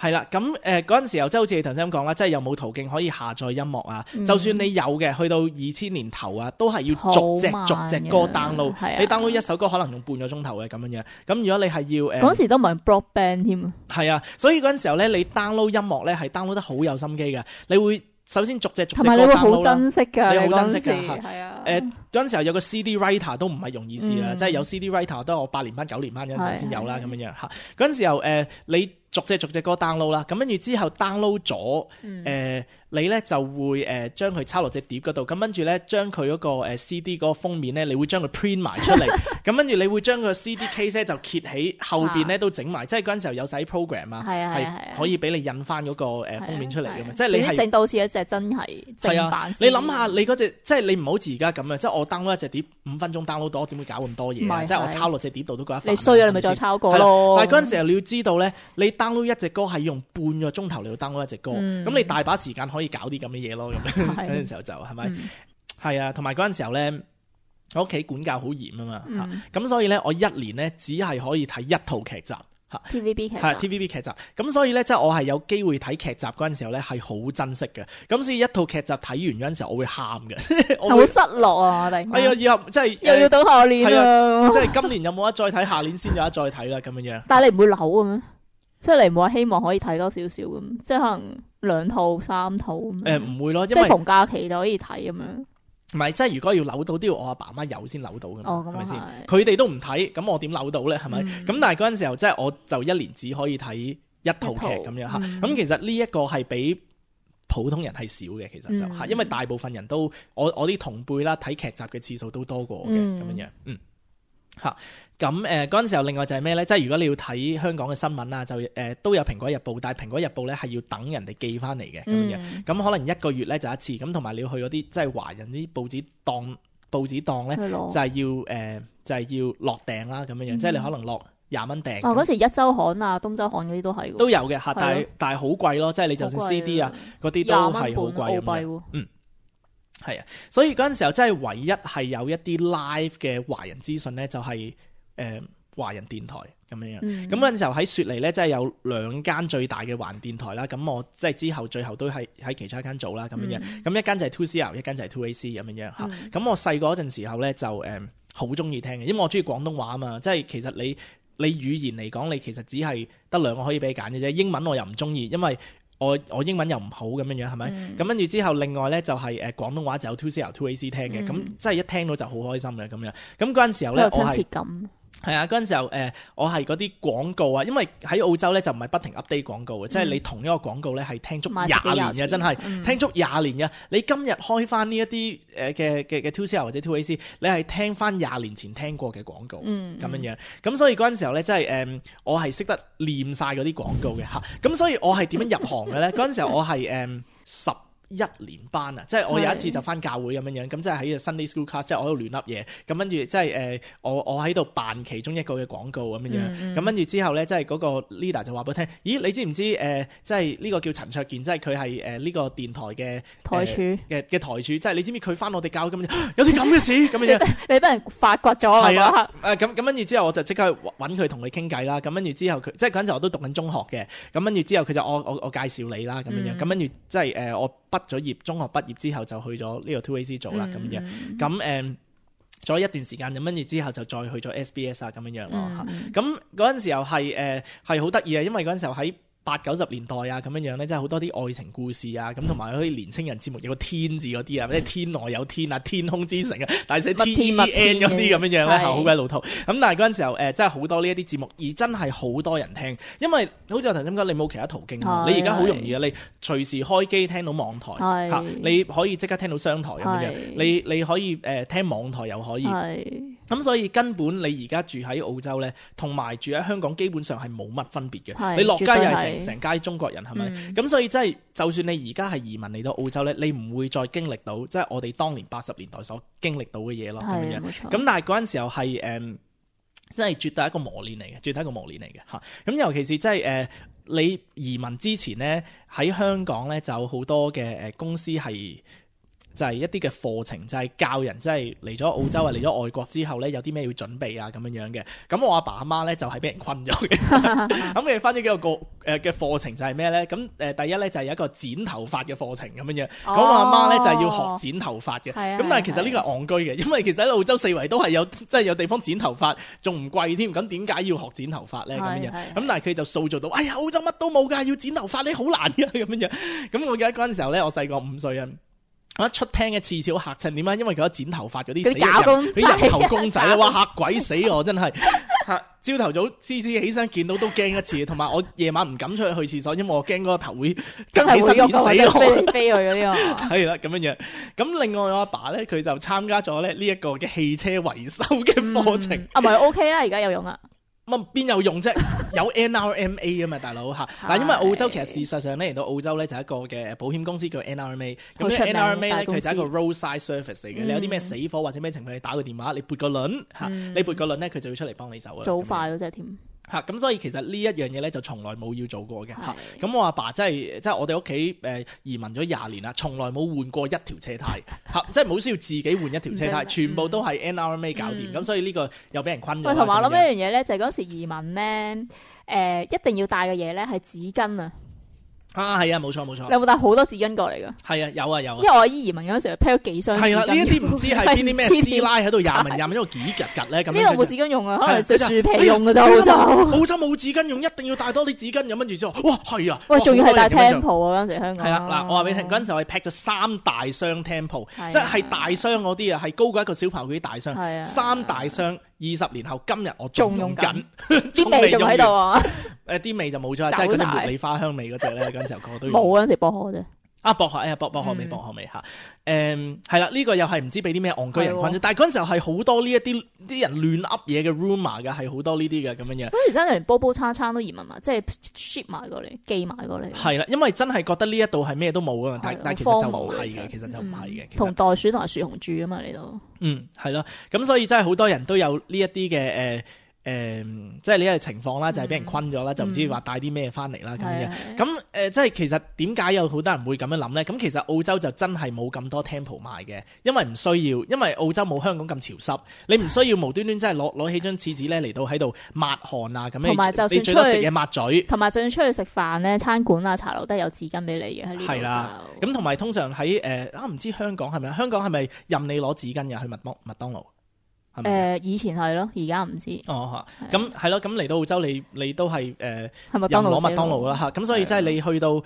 係啦，咁誒嗰陣時候，即係好似你頭先咁講啦，即係有冇途徑可以下載音樂啊？嗯、就算你有嘅，去到二千年頭啊，都係要逐隻逐隻歌 download。你 download 一首歌可能用半個鐘頭嘅咁樣樣。咁如果你係要誒，嗰、呃、時都唔係 broadband 添啊。係啊，所以嗰陣時候咧，你 download 音樂咧係 download 得好有心機嘅。你會首先逐隻逐隻歌 download 啦。同埋你會好珍惜㗎，你好珍惜㗎，係啊。誒嗰陣時候有個 C D writer 都唔係容易事啊，嗯、即係有 C D writer 都係我八年班九年班嗰陣時先有啦咁樣樣嚇。嗰陣時候誒、呃、你。逐隻逐隻歌 download 啦，咁跟住之後 download 咗，誒、嗯呃、你咧就會誒將佢抄落隻碟嗰度，咁跟住咧將佢嗰個誒 C D 嗰個封面咧，你會將佢 print 埋出嚟，咁跟住你會將個 C D case 咧就揭起後邊咧都整埋，即係嗰陣時候有晒 program 啊，係可以俾你印翻嗰個誒封面出嚟嘅嘛，即係你係整到似一隻真係正版。你諗下你嗰隻，即係你唔好似而家咁啊，即係我 download 一隻碟五分鐘 download 到，點會搞咁多嘢啊？即係我抄落隻碟度都覺得煩。你衰啊，你咪再抄過咯。但係嗰陣時候你要知道咧，你 download 一隻歌係用半個鐘頭嚟到 download 一隻歌，咁、嗯、你大把時間可以搞啲咁嘅嘢咯。咁嗰陣時候就係咪？係、嗯、啊，同埋嗰陣時候咧，我屋企管教好嚴啊嘛，咁、嗯、所以咧我一年咧只係可以睇一套劇集。嚇。T V B 劇集係 T V B 劇集，咁所以咧，即係我係有機會睇劇集嗰陣時候咧，係好珍惜嘅。咁所以一套劇集睇完嗰陣時候，我會喊嘅，我會係好失落啊！我哋係啊，以後即係又要到下年係啦啊，即係今年有冇得再睇，下年先有得再睇啦，咁樣樣。但係你唔會扭嘅咩？即係你唔會話希望可以睇多少少咁，即係可能兩套三套咁樣。誒唔會咯，即因為係逢假期就可以睇咁樣。唔係，即係如果要扭到，都要我阿爸媽有先扭到㗎嘛，哦，係咪先？咁啊佢哋都唔睇，咁我點扭到咧？係咪？咁、嗯但係嗰陣時候，即係我就一年只可以睇一套劇咁樣嚇。咁、嗯其實呢一個係比普通人係少嘅，其實就嚇，嗯因為大部分人都我我啲同輩啦，睇劇集嘅次數都多過我嘅咁樣樣，嗯。嚇，咁誒嗰陣時候，另外就係咩咧？即係如果你要睇香港嘅新聞啊，就誒、呃、都有蘋果日報，但係蘋果日報咧係要等人哋寄翻嚟嘅咁樣。嗯咁可能一個月咧就一次，咁同埋你要去嗰啲即係華人啲報紙檔報紙檔咧，去攞就係要誒、呃、就係、要落訂啦咁樣樣，嗯即係你可能落廿蚊訂。哦，嗰時一週刊啊、東週刊嗰啲都係喎都有嘅嚇，但係係咯但係好貴咯，即係你就算 C D 啊嗰啲都係好貴咁樣。廿蚊半澳幣喎。嗯，係啊，所以嗰陣時候真係唯一係有一啲 live 嘅華人資訊咧，就係、誒、華人電台咁樣樣。嗯咁嗰陣時候喺雪梨咧，即係有兩間最大嘅華人電台啦。咁我即係之後最後都係喺其中一間做啦咁樣樣。咁、嗯一間就係 two C R， 一間就係 two A C 咁樣樣嚇。咁、嗯我細個嗰陣時候咧就誒好中意聽嘅，因為我中意廣東話啊嘛。即係其實你你語言嚟講，你其實只係得兩個可以俾你揀嘅啫。英文我又唔中意，因為我我英文又唔好咁樣樣係咪？咁跟住之後，另外咧就係誒廣東話就有 two C R two A C 聽嘅，咁、嗯即係一聽到就好開心嘅咁樣。咁嗰陣時候咧，好有親我係切感。係啊，嗰陣時候誒、呃，我係嗰啲廣告啊，因為喺澳洲咧就唔係不停 update 廣告嘅，即係你同一個廣告咧係聽足廿買十幾年嘅，廿次真係、嗯聽足廿年嘅。你今日開翻呢一啲誒嘅嘅嘅 two C R 或者 two A C，你係聽翻廿年前聽過嘅廣告，咁、嗯樣樣。咁所以嗰陣時候咧，即係誒，我係識得念晒嗰啲廣告嘅嚇。咁所以我係點樣入行嘅咧？嗰陣時候我係誒十一年班啊，即係我有一次就翻教會咁樣樣，咁即係喺 Sunday School class，即係我喺度亂噏嘢，咁跟住即係誒我我喺度扮其中一個嘅廣告咁樣樣，咁跟住之後咧，即係嗰個 leader 就話俾我聽，咦你知唔知誒、呃、即係呢個叫陳卓健，即係佢係誒呢個電台嘅台柱嘅嘅台柱，即係你知唔知佢翻我哋教咁樣，有啲咁嘅事咁樣樣。你俾人發掘咗啊！係嗰刻啊，誒咁咁跟住之後我就即刻揾佢同佢傾偈啦，咁跟住之後佢即係嗰陣時我都讀緊中學嘅，咁跟住之後佢就我我我介紹你啦咁樣樣，咁跟住即係誒我畢咗業，中學畢業之後就去咗呢個 two A C 做啦咁樣樣，咁誒咗一段時間，咁跟住之後就再去咗 S B S 啊咁樣樣咯嚇，咁嗰陣時候係誒係好得意啊，因為嗰陣時候喺八九十年代啊，咁樣樣咧，即係好多啲愛情故事啊，咁同埋嗰啲年青人節目有個天字嗰啲啊，即係天外有天啊，天空之城啊，大寫 T E N 嗰啲咁樣樣咧，係好鬼老土。咁但係嗰陣時候誒，真係好多呢一啲節目，而真係好多人聽，因為好似我頭先講，你冇其他途徑啊，你而家好容易啊，你隨時開機聽到網台嚇，你可以即刻聽到商台咁樣樣，你你可以誒聽網台又可以。咁所以根本你而家住喺澳洲咧，同埋住喺香港基本上係冇乜分別嘅。你落街又係成成街中國人，係咪？咁、嗯、所以真係，就算你而家係移民嚟到澳洲咧，你唔會再經歷到即係、就是、我哋當年八十年代所經歷到嘅嘢咯。咁樣樣。咁但係嗰陣時候係誒，真、嗯、係絕對係一個磨練嚟嘅，絕對係一個磨練嚟嘅嚇。咁尤其是即係誒，你移民之前咧喺香港咧就有好多嘅誒公司係。就係一啲嘅課程，就係、是、教人即係嚟咗澳洲啊，嚟咗外國之後咧，有啲咩要準備啊咁樣樣嘅。咁我阿爸阿媽咧就係、是、俾人困咗嘅。咁佢分咗幾個個誒嘅課程就係咩咧？咁誒第一咧就係、是、有一個剪頭髮嘅課程咁樣樣。咁、哦、我阿媽咧就係、是、要學剪頭髮嘅。咁、哦、但係其實呢個係戇居嘅，因為其實喺澳洲四圍都係有即係、就是、有地方剪頭髮，仲唔貴添。咁點解要學剪頭髮咧？咁樣樣。咁但係佢就塑造到，哎呀澳洲乜都冇㗎，要剪頭髮你好難㗎咁樣樣。咁我記得嗰陣時候咧，我細個五歲啊。我一出廳嘅次次好嚇親，點解？因為佢有剪頭髮嗰啲死人，啲人頭公仔啊，哇嚇鬼死我真係嚇！朝頭早次次起身見到都驚一次，同埋我夜晚唔敢出去去廁所，因為我驚嗰個頭會真係會喐死我，飛嚟飛去嗰啲啊！係啦咁樣樣。咁另外我阿爸咧，佢就參加咗咧呢一個嘅汽車維修嘅課程。啊，咪 OK 啊，而家有用啊！乜邊有用啫？有 N R M A 啊嘛，大佬嚇。嗱，因為澳洲其實事實上咧嚟到澳洲咧就係一個嘅保險公司叫 N R M A。咁呢 N R M A 咧佢就係一個 roadside service 嚟嘅。你有啲咩死火或者咩情況，你打個電話，你撥個輪嚇，你撥個輪咧佢就會出嚟幫你手啊。早快嗰隻添。嚇咁、啊、所以其實呢一樣嘢咧就從來冇要做過嘅嚇。咁、係我阿爸真係即係我哋屋企誒移民咗廿年啦，從來冇換過一條車胎嚇，即係冇需要自己換一條車胎，全部都係 N R M A 搞掂。咁、嗯、所以呢個又俾人困咗。喂，同埋我諗一樣嘢咧，就係嗰時移民咧，誒、呃、一定要帶嘅嘢咧係紙巾啊。啊，係啊，冇錯冇錯。你有冇帶好多紙巾過嚟㗎？係啊，有啊有啊。因為我阿姨移民嗰陣時，批咗幾箱紙巾。係啦，呢一啲唔知係邊啲咩師奶喺度廿文廿文喺度幾拮拮咧咁。呢度冇紙巾用啊，可能食樹皮用嘅啫。澳洲澳洲冇紙巾用，一定要帶多啲紙巾咁。跟住之後，哇係啊！喂，仲要係帶 Tempo 啊嗰陣時香港。係啦，嗱，我話俾你聽，嗰陣時我係 pack 咗三大箱 Tempo，即係大箱嗰啲啊，係高過一個小朋友嗰啲大箱，三大箱。二十年後今日我仲用緊，啲味仲喺度啊！誒啲味就冇咗，即係嗰隻茉莉花香味嗰隻咧，嗰陣時候個個都用。冇嗰陣時薄荷啫。啊薄荷，哎呀薄薄荷味，薄荷味嚇。誒係啦，呢個又係唔知俾啲咩戇居人困咗，但係嗰陣時候係好多呢一啲啲人亂噏嘢嘅 rumor 嘅，係好多呢啲嘅咁樣樣。嗰時真係連煲煲餐餐都移民埋，即係 ship 埋過嚟，寄埋過嚟。係啦，因為真係覺得呢一度係咩都冇啊，但但其實就唔係嘅，其實就唔係嘅。同袋鼠同埋樹熊住啊嘛，呢度。嗯，係咯，咁所以真係好多人都有呢一啲嘅誒。誒、呃，即係呢個情況啦，就係、是、俾人困咗啦，嗯、就唔知話帶啲咩翻嚟啦咁樣。咁誒、呃，即係其實點解有好多人會咁樣諗咧？咁其實澳洲就真係冇咁多 Tempo 賣嘅，因為唔需要，因為澳洲冇香港咁潮濕，你唔需要無端端真係攞攞起張廁紙咧嚟到喺度抹汗啊咁樣。同埋就算你最多食嘢抹嘴，同埋就算出去食飯咧，餐館啊、茶樓都係有紙巾俾你嘅喺呢度。係啦，咁同埋通常喺誒啊，唔知香港係咪？香港係咪任你攞紙巾嘅去麥當麥當勞？誒、呃、以前係咯，而家唔知。哦嚇，咁係咯，咁嚟到澳洲你你都係誒，任攞麥當勞啦嚇，咁所以即係你去到，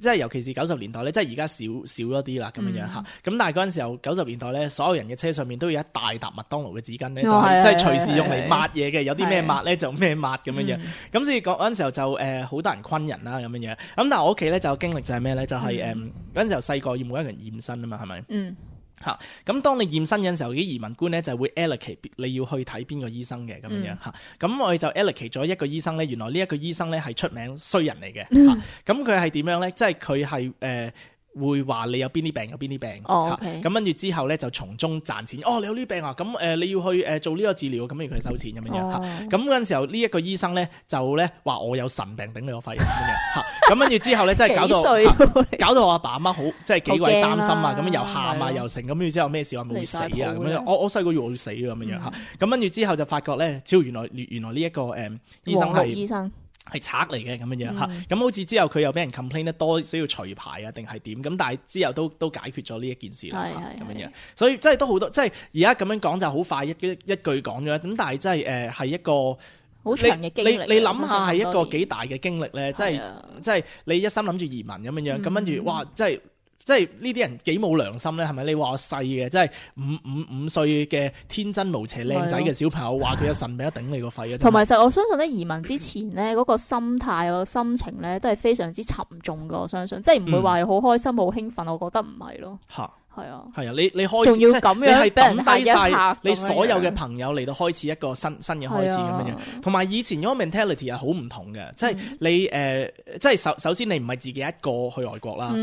即係尤其是九十年代咧，即係而家少少咗啲啦咁樣樣嚇。咁、嗯、但係嗰陣時候九十年代咧，所有人嘅車上面都有一大沓麥當勞嘅紙巾咧，就係即係隨時用嚟抹嘢嘅，有啲咩抹咧就咩抹咁樣樣。咁、嗯、所以嗰陣時候就誒好、呃、多人昆人啦咁樣樣。咁但係我屋企咧就有經歷就係咩咧？就係誒嗰陣時候細個要每一個人驗身啊嘛，係咪？嗯。嚇！咁、啊、當你驗身嘅時候，啲移民官咧就會 allocate 你要去睇邊個醫生嘅咁樣樣嚇。咁、嗯啊、我哋就 allocate 咗一個醫生咧，原來呢一個醫生咧係出名衰人嚟嘅嚇。咁佢係點樣咧？即係佢係誒會話你有邊啲病有邊啲病嚇。咁跟住之後咧就從中賺錢。哦，你有呢啲病啊？咁誒、呃、你要去誒做呢個治療，咁要佢收錢咁樣樣嚇。咁嗰陣時候呢一個醫生咧就咧話我有神病頂你個肺咁樣嚇。咁跟住之後咧，真係搞到搞到我阿爸阿媽好，即係幾鬼擔心啊！咁樣又喊啊，又成咁，跟住之後咩事話冇死啊咁樣。我我細個以為我要死啊咁樣嚇。咁跟住之後就發覺咧，超原來原來呢一個誒醫生係醫生係賊嚟嘅咁樣樣嚇。咁好似之後佢又俾人 complain 得多，需要除牌啊定係點？咁但係之後都都解決咗呢一件事啦咁樣樣。所以真係都好多，即係而家咁樣講就好快一一一句講咗。咁但係真係誒係一個。好長嘅經歷，你你諗下係一個幾大嘅經歷咧，即係即係你一心諗住移民咁樣樣，咁跟住哇，即係即係呢啲人幾冇良心咧，係咪？你話我細嘅，即係五五五歲嘅天真無邪靚仔嘅小朋友，話佢有神病一頂你個肺啊！同埋，實我相信咧，移民之前咧嗰個心態、個心情咧，都係非常之沉重噶。我相信，即係唔會話好開心、好興奮。我覺得唔係咯。嚇！係啊，係啊，你你開始仲要咁樣，你係抌低晒你所有嘅朋友嚟到開始一個新新嘅開始咁樣樣，同埋以前嗰個 mentality 係好唔同嘅，即係你誒，即係首首先你唔係自己一個去外國啦，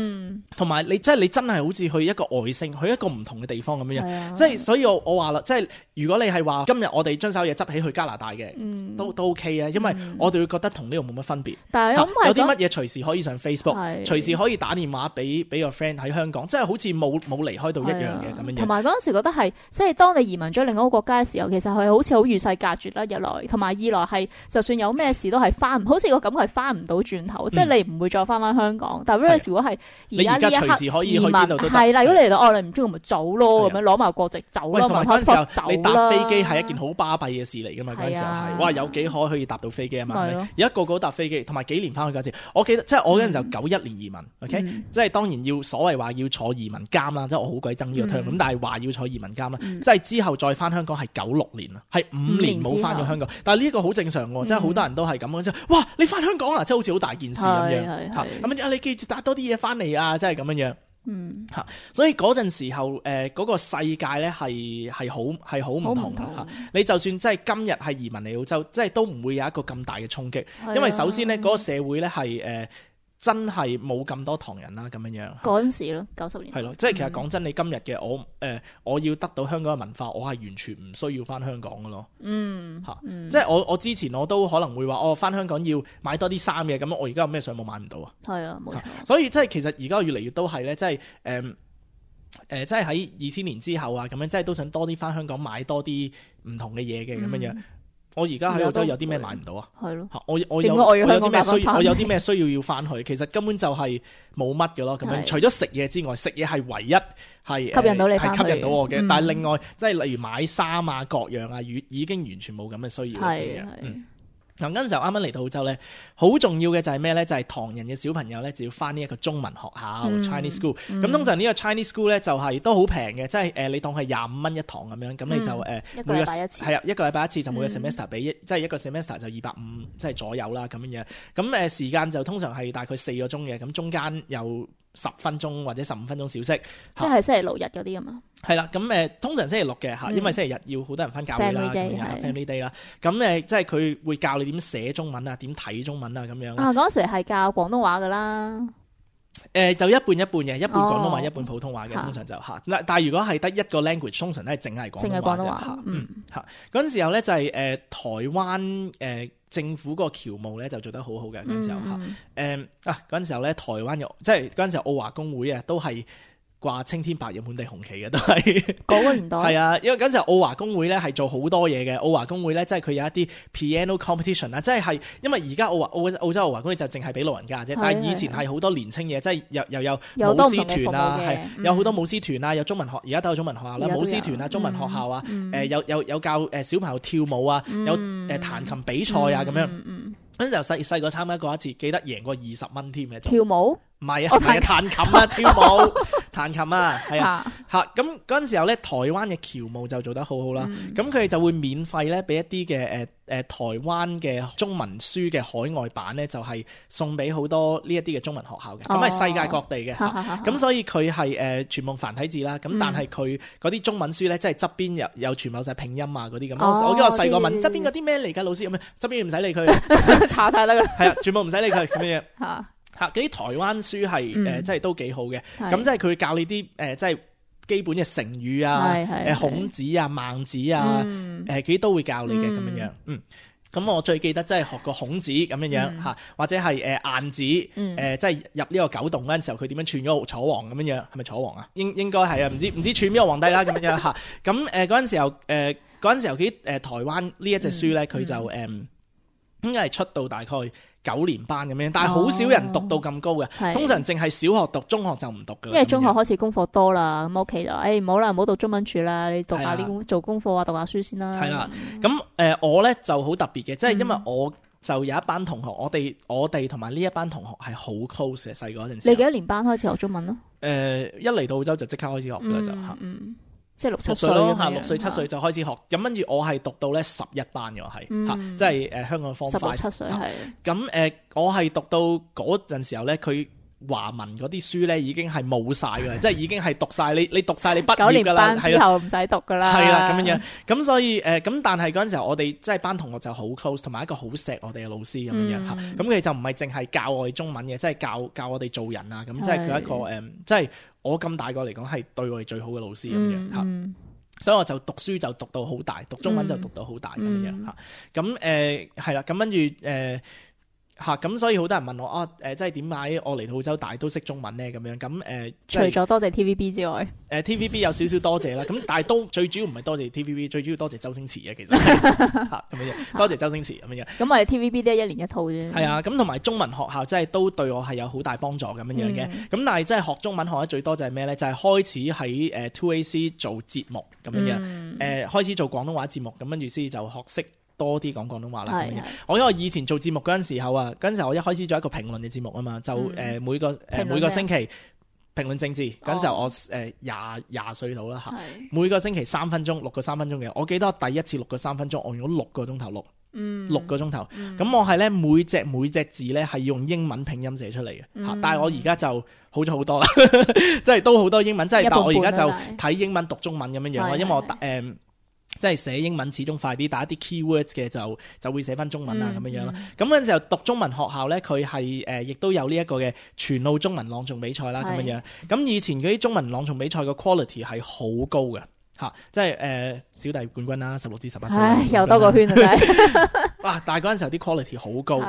同埋你即係你真係好似去一個外星，去一個唔同嘅地方咁樣樣，即係所以我我話啦，即係如果你係話今日我哋將手嘢執起去加拿大嘅，都都 OK 啊，因為我哋會覺得同呢度冇乜分別，但係有啲乜嘢隨時可以上 Facebook， 隨時可以打電話俾俾個 friend 喺香港，即係好似冇冇離開到一樣嘅咁樣。同埋嗰陣時覺得係，即係當你移民咗另一個國家嘅時候，其實係好似好與世隔絕啦。一來，同埋二來係，就算有咩事都係翻，好似個感覺係翻唔到轉頭，嗯、即係你唔會再翻翻香港。但係如果係而家呢一刻移民，係啦，如果你嚟到哦，你唔中意咪走咯，咁樣攞埋國籍走咯，埋 passport 走啦。你搭飛機係一件好巴閉嘅事嚟㗎嘛？嗰陣時候係，哇，有幾可可以搭到飛機啊嘛？而家個個都搭飛機，同埋幾年翻去嗰次，我記得即係我嗰陣就九一年移民 ，OK，、嗯、即係當然要所謂話要坐移民監啦，即係我好鬼憎呢個 term，咁但係話要坐移民監啦，嗯、即係之後再翻香港係九六年啦，係五年冇翻咗香港，但係呢個好正常喎，即係好多人都係咁樣，即係哇你翻香港啊，即係好似好大件事咁樣嚇，咁啊你記住帶多啲嘢翻嚟啊，即係咁樣樣。嗯嚇，所以嗰陣時候誒嗰、呃嗰個世界咧係係好係好唔同嚇。你就算即係今日係移民嚟澳洲，即係都唔會有一個咁大嘅衝擊，因為首先咧嗰、嗰個社會咧係誒。真係冇咁多唐人啦咁樣樣。嗰陣時咯，九十年代係咯，即係其實講真，你今日嘅我誒、呃，我要得到香港嘅文化，我係完全唔需要翻香港嘅咯。嗯，嚇、嗯，即係我我之前我都可能會話，我、哦、翻香港要買多啲衫嘅，咁我而家有咩上網買唔到啊？係啊，冇錯。所以即係其實而家越嚟越都係咧，即係誒誒，即係喺二千年之後啊，咁樣即係都想多啲翻香港買多啲唔同嘅嘢嘅咁樣樣。嗯我而家喺澳洲有啲咩買唔到啊？係咯，我我有點解我要香港我有啲咩需打返我有啲咩需要要翻去？其實根本就係冇乜嘅咯。咁樣係除咗食嘢之外，食嘢係唯一係吸引到你係返去吸引到我嘅。嗯但係另外即係例如買衫啊、各樣啊，已已經完全冇咁嘅需要啦。咁樣係係嗯嗱，嗰陣時候啱啱嚟到澳洲咧，好重要嘅就係咩咧？就係、是、唐人嘅小朋友咧，就要翻呢一個中文學校、嗯 Chinese school。咁、嗯通常呢個 Chinese school 咧就係、是、都好平嘅，即係誒你當係廿五蚊一堂咁樣，咁你就誒、嗯一個每禮拜一次係啊一個禮拜一次，就每個嗯 semester 俾一，即係一個 semester 就二百五即係左右啦咁樣樣。咁誒時間就通常係大概四個鐘嘅，咁中間有十分鐘或者十五分鐘小息。即係星期六日嗰啲啊嘛。係啦，咁誒通常星期六嘅嚇，嗯因為星期日要好多人翻教會啦， Family day，咁樣係 family day 啦。咁誒即係佢會教你點寫中文啊，點睇中文啊咁樣。啊，嗰陣時係教廣東話噶啦。誒就一半一半嘅，一半廣東話，哦一半普通話嘅，嚇通常就嚇。嗱，但係如果係得一個 language，通常都係淨係廣淨係東話啫廣東話嚇。嗯嗯嚇，嗰陣時候咧就係誒台灣誒政府嗰個僑務咧就做得好好嘅嗰陣時候嚇。嗯誒啊嗰陣時候咧台灣有即係嗰陣時候澳華公會啊都係掛青天白日滿地紅旗嘅都係。嗰個年代係啊，因為嗰陣時候澳華公會咧係做好多嘢嘅。澳華公會咧，即係佢有一啲 piano competition 啊，即係係因為而家澳華澳澳洲澳華公會就淨係俾老人家啫，但係以前係好多年青嘢，即係又又有舞有多唔同嘅獅團啊，服務嘅係嗯有好多舞獅團啊，有中文學，而家都有中文學校啦，而家都有舞獅團啊，中文學校啊，嗯誒有有有教誒小朋友跳舞啊，有誒彈琴比賽啊咁樣。嗯嗯嗰陣時候細細個參加過一次，記得贏過二十蚊添嘅。跳舞唔係啊，哦唔係啊彈琴啊，跳舞彈琴啊，係啊。嚇嚇咁嗰陣時候咧，台灣嘅僑務就做得好好啦。嗯咁佢哋就會免費咧，俾一啲嘅誒誒台灣嘅中文書嘅海外版咧，就係、是、送俾好多呢一啲嘅中文學校嘅。咁係、哦世界各地嘅。咁咁所以佢係誒全部繁體字啦。咁但係佢嗰啲中文書咧，即係側邊有有全部有晒拼音啊嗰啲咁。哦我記得我細個問知側邊嗰啲咩嚟㗎，老師咁樣，側邊唔使理佢，查晒得㗎啦係啊，全部唔使理佢咁樣。嚇。嚇嗰啲台灣書係誒、嗯呃，即係都幾好嘅。係咁即係佢教你啲誒、呃，即係基本嘅成語啊，係係誒孔子啊、孟子啊，嗯誒佢都會教你嘅咁嗯樣樣。嗯，咁我最記得即係學過孔子咁樣樣嚇，嗯或者係誒晏子誒、嗯呃，即係入呢個九洞嗰陣時候，佢點樣串咗個楚王咁樣樣，係咪楚王啊？應應該係啊，唔知唔知串邊個皇帝啦咁樣樣嚇。咁誒嗰陣時候誒嗰陣時候幾誒、呃、台灣呢一隻書咧，佢、嗯就誒、呃、應該係出到大概九年班咁樣，但係好少人讀到咁高嘅，係通常淨係小學讀，中學就唔讀㗎啦。因為中學咁樣開始功課多啦，咁屋企就誒唔好啦，唔好讀中文處啦，你讀下係啊啲功做功課啊，讀下書先啦。係啦，咁誒、呃、我咧就好特別嘅，即係因為嗯我就有一班同學，我哋我哋同埋呢一班同學係好 close 嘅，細個嗰陣時候。你幾多年班開始學中文咯？誒一嚟到澳洲就即刻開始學㗎啦，就嚇嗯嗯，即係六七六歲咁樣歲咯嚇，六歲七歲就開始學。咁跟住我係讀到咧十一班嘅，我係嗯嚇，即係誒香港方十六 five 七歲係咁誒、呃我係讀到嗰陣時候咧，佢華文嗰啲書咧已經係冇晒㗎啦，即係已經係讀晒你你讀晒你畢九年業㗎啦，班之係啊。後唔使讀噶啦。係啦，咁樣樣，咁所以誒，咁、但係嗰陣時候，我哋即係班同學就好 close，同埋一個好錫我哋嘅老師咁樣樣嚇。嗯咁佢就唔係淨係教我哋中文嘅，即係教教我哋做人啊。咁即係佢一個係誒，即係我咁大個嚟講係對我哋最好嘅老師咁樣嚇。嗯所以我就讀書就讀到好大，讀中文就讀到好大咁樣嗯嚇。咁誒係啦，咁跟住誒。嚇咁，所以好多人問我啊，誒、即係點解我嚟到澳洲大都識中文咧？咁樣咁誒，即除係咗多謝 T V B 之外，誒 T V B 有少少多謝啦，咁但係都最主要唔係多謝 T V B，最主要多謝周星馳嘅其實係嚇咁樣，多謝周星馳咁樣。咁我哋 T V B 都係一年一套啫。係啊，咁同埋中文學校即係都對我係有好大幫助咁樣樣嘅。咁、嗯但係即係學中文學得最多就係咩咧？就係、開始喺誒 two A C 做節目咁樣樣，誒、嗯開始做廣東話節目，咁跟住先就學識多啲講廣東話啦。咁樣係係我因為以前做節目嗰陣時候啊，嗰陣時候我一開始做一個評論嘅節目啊嘛，就誒、嗯每個誒、評論每個星期評論政治嗰陣時候哦我誒廿廿歲到啦嚇。係每個星期三分鐘，六個三分鐘嘅。我記得我第一次錄個三分鐘，我用咗六個鐘頭錄，嗯六個鐘頭。咁、我係咧每隻每隻字咧係用英文拼音寫出嚟嘅嚇，嗯但係我而家就好咗好多啦，即係都好多英文，即係一半但係我而家就半啦睇英文讀中文咁樣樣咯，係因為我係誒。即係寫英文始終快啲，打一啲 keywords 嘅就就會寫翻中文啊咁、嗯、樣樣啦。咁嗰陣時候讀中文學校咧，佢係誒亦都有呢一個嘅全澳中文朗誦比賽啦咁樣樣。咁以前嗰啲中文朗誦比賽嘅 quality 係好高嘅嚇，即係誒、呃、小弟冠軍啦，十六至十八歲。唉，又多個圈啊！真係哇！但係嗰陣時候啲 quality 好高，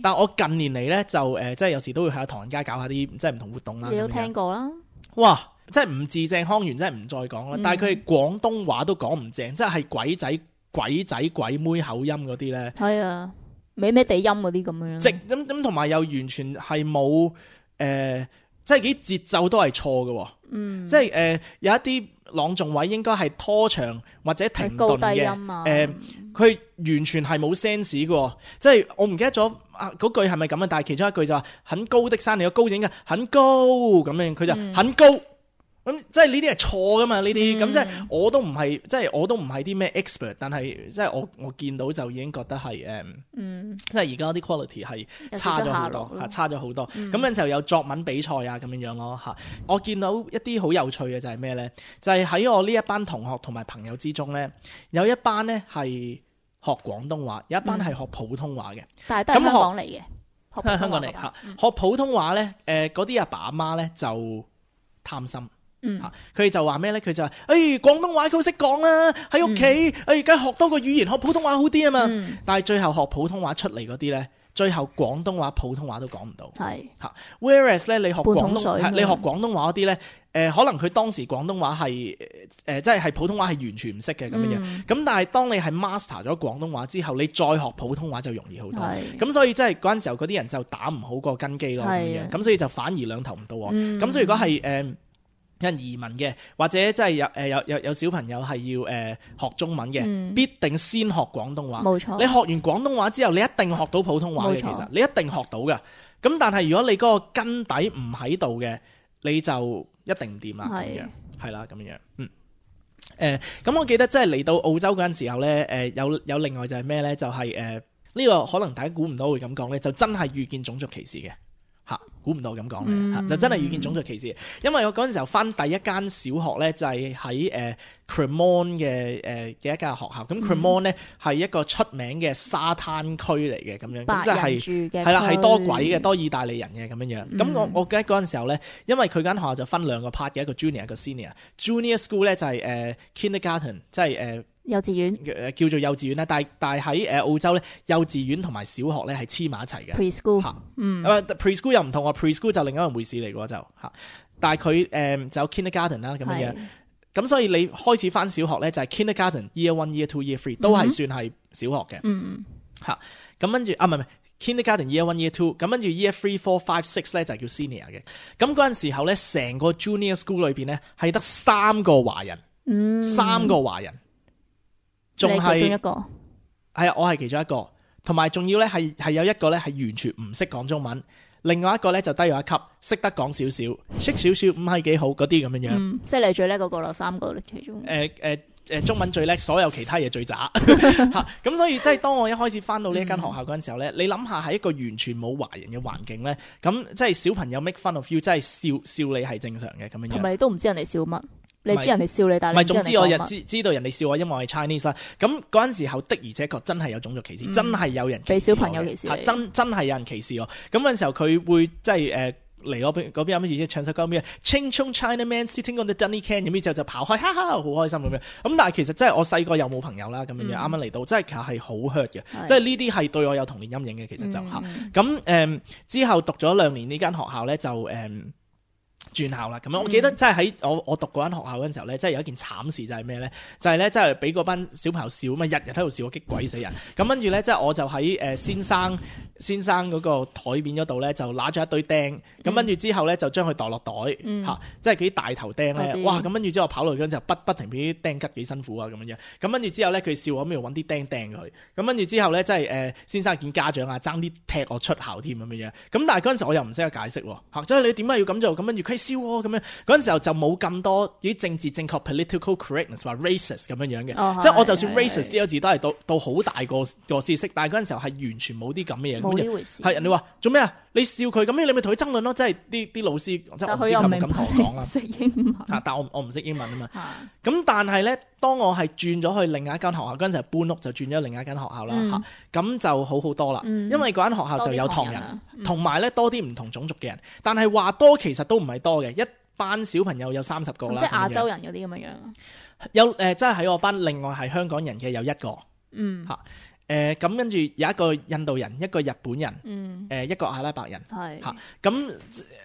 但係我近年嚟咧就誒、呃，即係有時都會喺唐人街搞下啲即係唔同活動啦。你都聽過啦？哇！即係唔字正腔圓，真係唔再講啦。嗯、但係佢哋廣東話都講唔正，即係鬼仔鬼仔鬼妹口音嗰啲咧。係啊，美美地音嗰啲咁樣。直咁咁，同埋又完全係冇誒，即係幾節奏都係錯嘅。嗯，即係誒、呃、有一啲朗誦位應該係拖長或者停頓嘅。誒，佢、呃、完全係冇 sense 嘅。即係我唔記得咗啊嗰句係咪咁啊？但係其中一句就話很高的山，你個高字應該很高咁樣，佢就很高。嗯咁即係呢啲係錯噶嘛？呢啲咁即係我都唔係，即係我都唔係啲咩 expert，但係即係我我見到就已經覺得係誒，嗯，即係而家啲 quality 係差咗好多嚇，差咗好多。咁樣就有作文比賽啊咁樣樣咯嚇。我見到一啲好有趣嘅就係咩咧？就係、是、喺我呢一班同學同埋朋友之中咧，有一班咧係學廣東話，有一班係學普通話嘅、嗯，但係都係香港嚟嘅，學香港嚟嚇。學普通話咧，誒嗰啲阿爸阿媽咧就貪心。嗯，佢哋就話咩咧？佢就話，誒，廣東話佢好識講啦，喺屋企，誒，而家學多個語言，學普通話好啲啊嘛。嗯、但係最後學普通話出嚟嗰啲咧，最後廣東話、普通話都講唔到。係吓 ，whereas 咧，你學廣東，你學廣東話嗰啲咧，誒、呃，可能佢當時廣東話係，誒、呃，即係係普通話係完全唔識嘅咁樣樣。咁、嗯、但係當你係 master 咗廣東話之後，你再學普通話就容易好多。咁所以即係嗰陣時候嗰啲人就打唔好個根基咯，咁樣。咁所以就反而兩頭唔到岸。咁、嗯、所以如果係誒。呃有人移民嘅，或者即係有誒有有有小朋友係要誒、呃、學中文嘅，嗯、必定先學廣東話。冇錯，你學完廣東話之後，你一定學到普通話嘅。其實你一定學到嘅。咁但係如果你嗰個根底唔喺度嘅，你就一定唔掂啦。咁樣係啦，咁樣嗯誒。咁、呃、我記得即係嚟到澳洲嗰陣時候咧，誒、呃、有有另外就係咩咧？就係誒呢個可能大家估唔到會咁講咧，就真係遇見種族歧視嘅。嚇，估唔到咁講嘅，就真係遇見種族歧視。因為我嗰陣時候返第一間小學咧，就係喺誒 Cremorne 嘅誒嘅一間學校。咁 Cremorne 咧係一個出名嘅沙灘區嚟嘅咁樣，咁即係係啦，係多鬼嘅，多意大利人嘅咁樣樣。咁、嗯、我我記得嗰陣時候咧，因為佢間學校就分兩個 part 嘅，一個 junior 一個 senior。Junior school 咧就係誒 kindergarten， 即係誒。幼稚園誒叫做幼稚園啦，但係但係喺誒澳洲咧，幼稚園同埋小學咧係黐埋一齊嘅。Preschool 嚇，嗯，啊 Preschool 又唔同喎 ，Preschool 就另一樣回事嚟嘅就嚇。但係佢誒就有 kindergarten 啦咁樣樣，咁所以你開始返小學咧就係 kindergarten year one year two year three 都係算係小學嘅。嗯嚇，咁跟住啊唔係唔係 kindergarten year one year two，咁跟住 year three four five six 咧就叫 senior 嘅。咁嗰陣時候咧，成個 junior school 裏邊咧係得三個華人，嗯，三個華人。仲係其中一個，係啊，我係其中一個，同埋仲要咧係係有一個咧係完全唔識講中文，另外一個咧就低咗一級，識得講少少，識少少唔係幾好嗰啲咁樣樣。嗯，即係你最叻嗰個啦，三個其中。誒誒誒，中文最叻，所有其他嘢最渣嚇。咁所以即係當我一開始翻到呢一間學校嗰陣時候咧，嗯、你諗下係一個完全冇華人嘅環境咧，咁即係小朋友 make fun of you， 真係笑笑你係正常嘅咁樣樣。同埋你都唔知人哋笑乜。你知人哋笑你，但係唔係，總之我又知知道人哋笑我，因為我係 Chinese 啦。咁嗰陣時候的而且確真係有種族歧視，嗯、真係有人俾小朋友歧視，真真係有人歧視我。咁嗰陣時候佢會即係誒嚟嗰邊嗰邊有乜嘢唱首歌咩？Ching Chong China Man Sitting on the Dunny Can， 咁之後就跑開，哈哈，好開心咁樣。咁但係其實真係我細個又冇朋友啦，咁樣樣啱啱嚟到，真係其實係好 hurt 嘅，即係呢啲係對我有童年陰影嘅。其實就嚇咁誒之後讀咗兩年呢間學校咧就誒。嗯轉校啦，咁樣我記得即係喺我我讀嗰間學校嗰陣時候咧，即係有一件慘事就係咩咧？就係咧，即係俾嗰班小朋友笑啊嘛，日日喺度笑我，激鬼死人。咁跟住咧，即係我就喺誒先生先生嗰個台面嗰度咧，就拿咗一堆釘。咁跟住之後咧，就將佢袋落袋嚇、嗯啊，即係嗰啲大頭釘咧。哇！咁跟住之後跑落去嗰陣時候，不不停俾啲釘拮幾辛苦啊咁樣。咁跟住之後咧，佢笑我咁樣揾啲釘釘佢。咁跟住之後咧，即係誒、呃、先生見家長啊，爭啲踢我出校添咁樣。咁但係嗰陣時我又唔識得解釋喎嚇，即係你點解要咁做？咁跟住佢笑喎咁樣。嗰陣時候就冇咁多啲政治正確 political correctness 話 racist 咁樣樣嘅，哦、即係我就算 racist 呢個字都係到到好大個個知識，但係嗰陣時候係完全冇啲咁嘅嘢。冇樣呢回事。係人哋話做咩啊？你笑佢咁樣，你咪同佢爭論咯。即係啲啲老師，即係但我唔知係咪佢又明咁同我講啦。白識英文。啊！但我我唔識英文啊嘛。嚇咁但係咧，當我係轉咗去另外一間學校嗰陣時，搬屋就轉咗另外一間學校啦嗯嚇。咁、就好好多啦，嗯因為嗰間學校就有唐人多啲唐人啊，嗯同埋咧多啲唔同種族嘅人。但係話多其實都唔係多嘅，一班小朋友有三十個啦。即係亞洲人人嗰啲咁樣樣啊。有誒，即係喺我班另外係香港人嘅有一個嗯嚇。誒咁跟住有一個印度人，一個日本人，誒、嗯，一個阿拉伯人係嚇。咁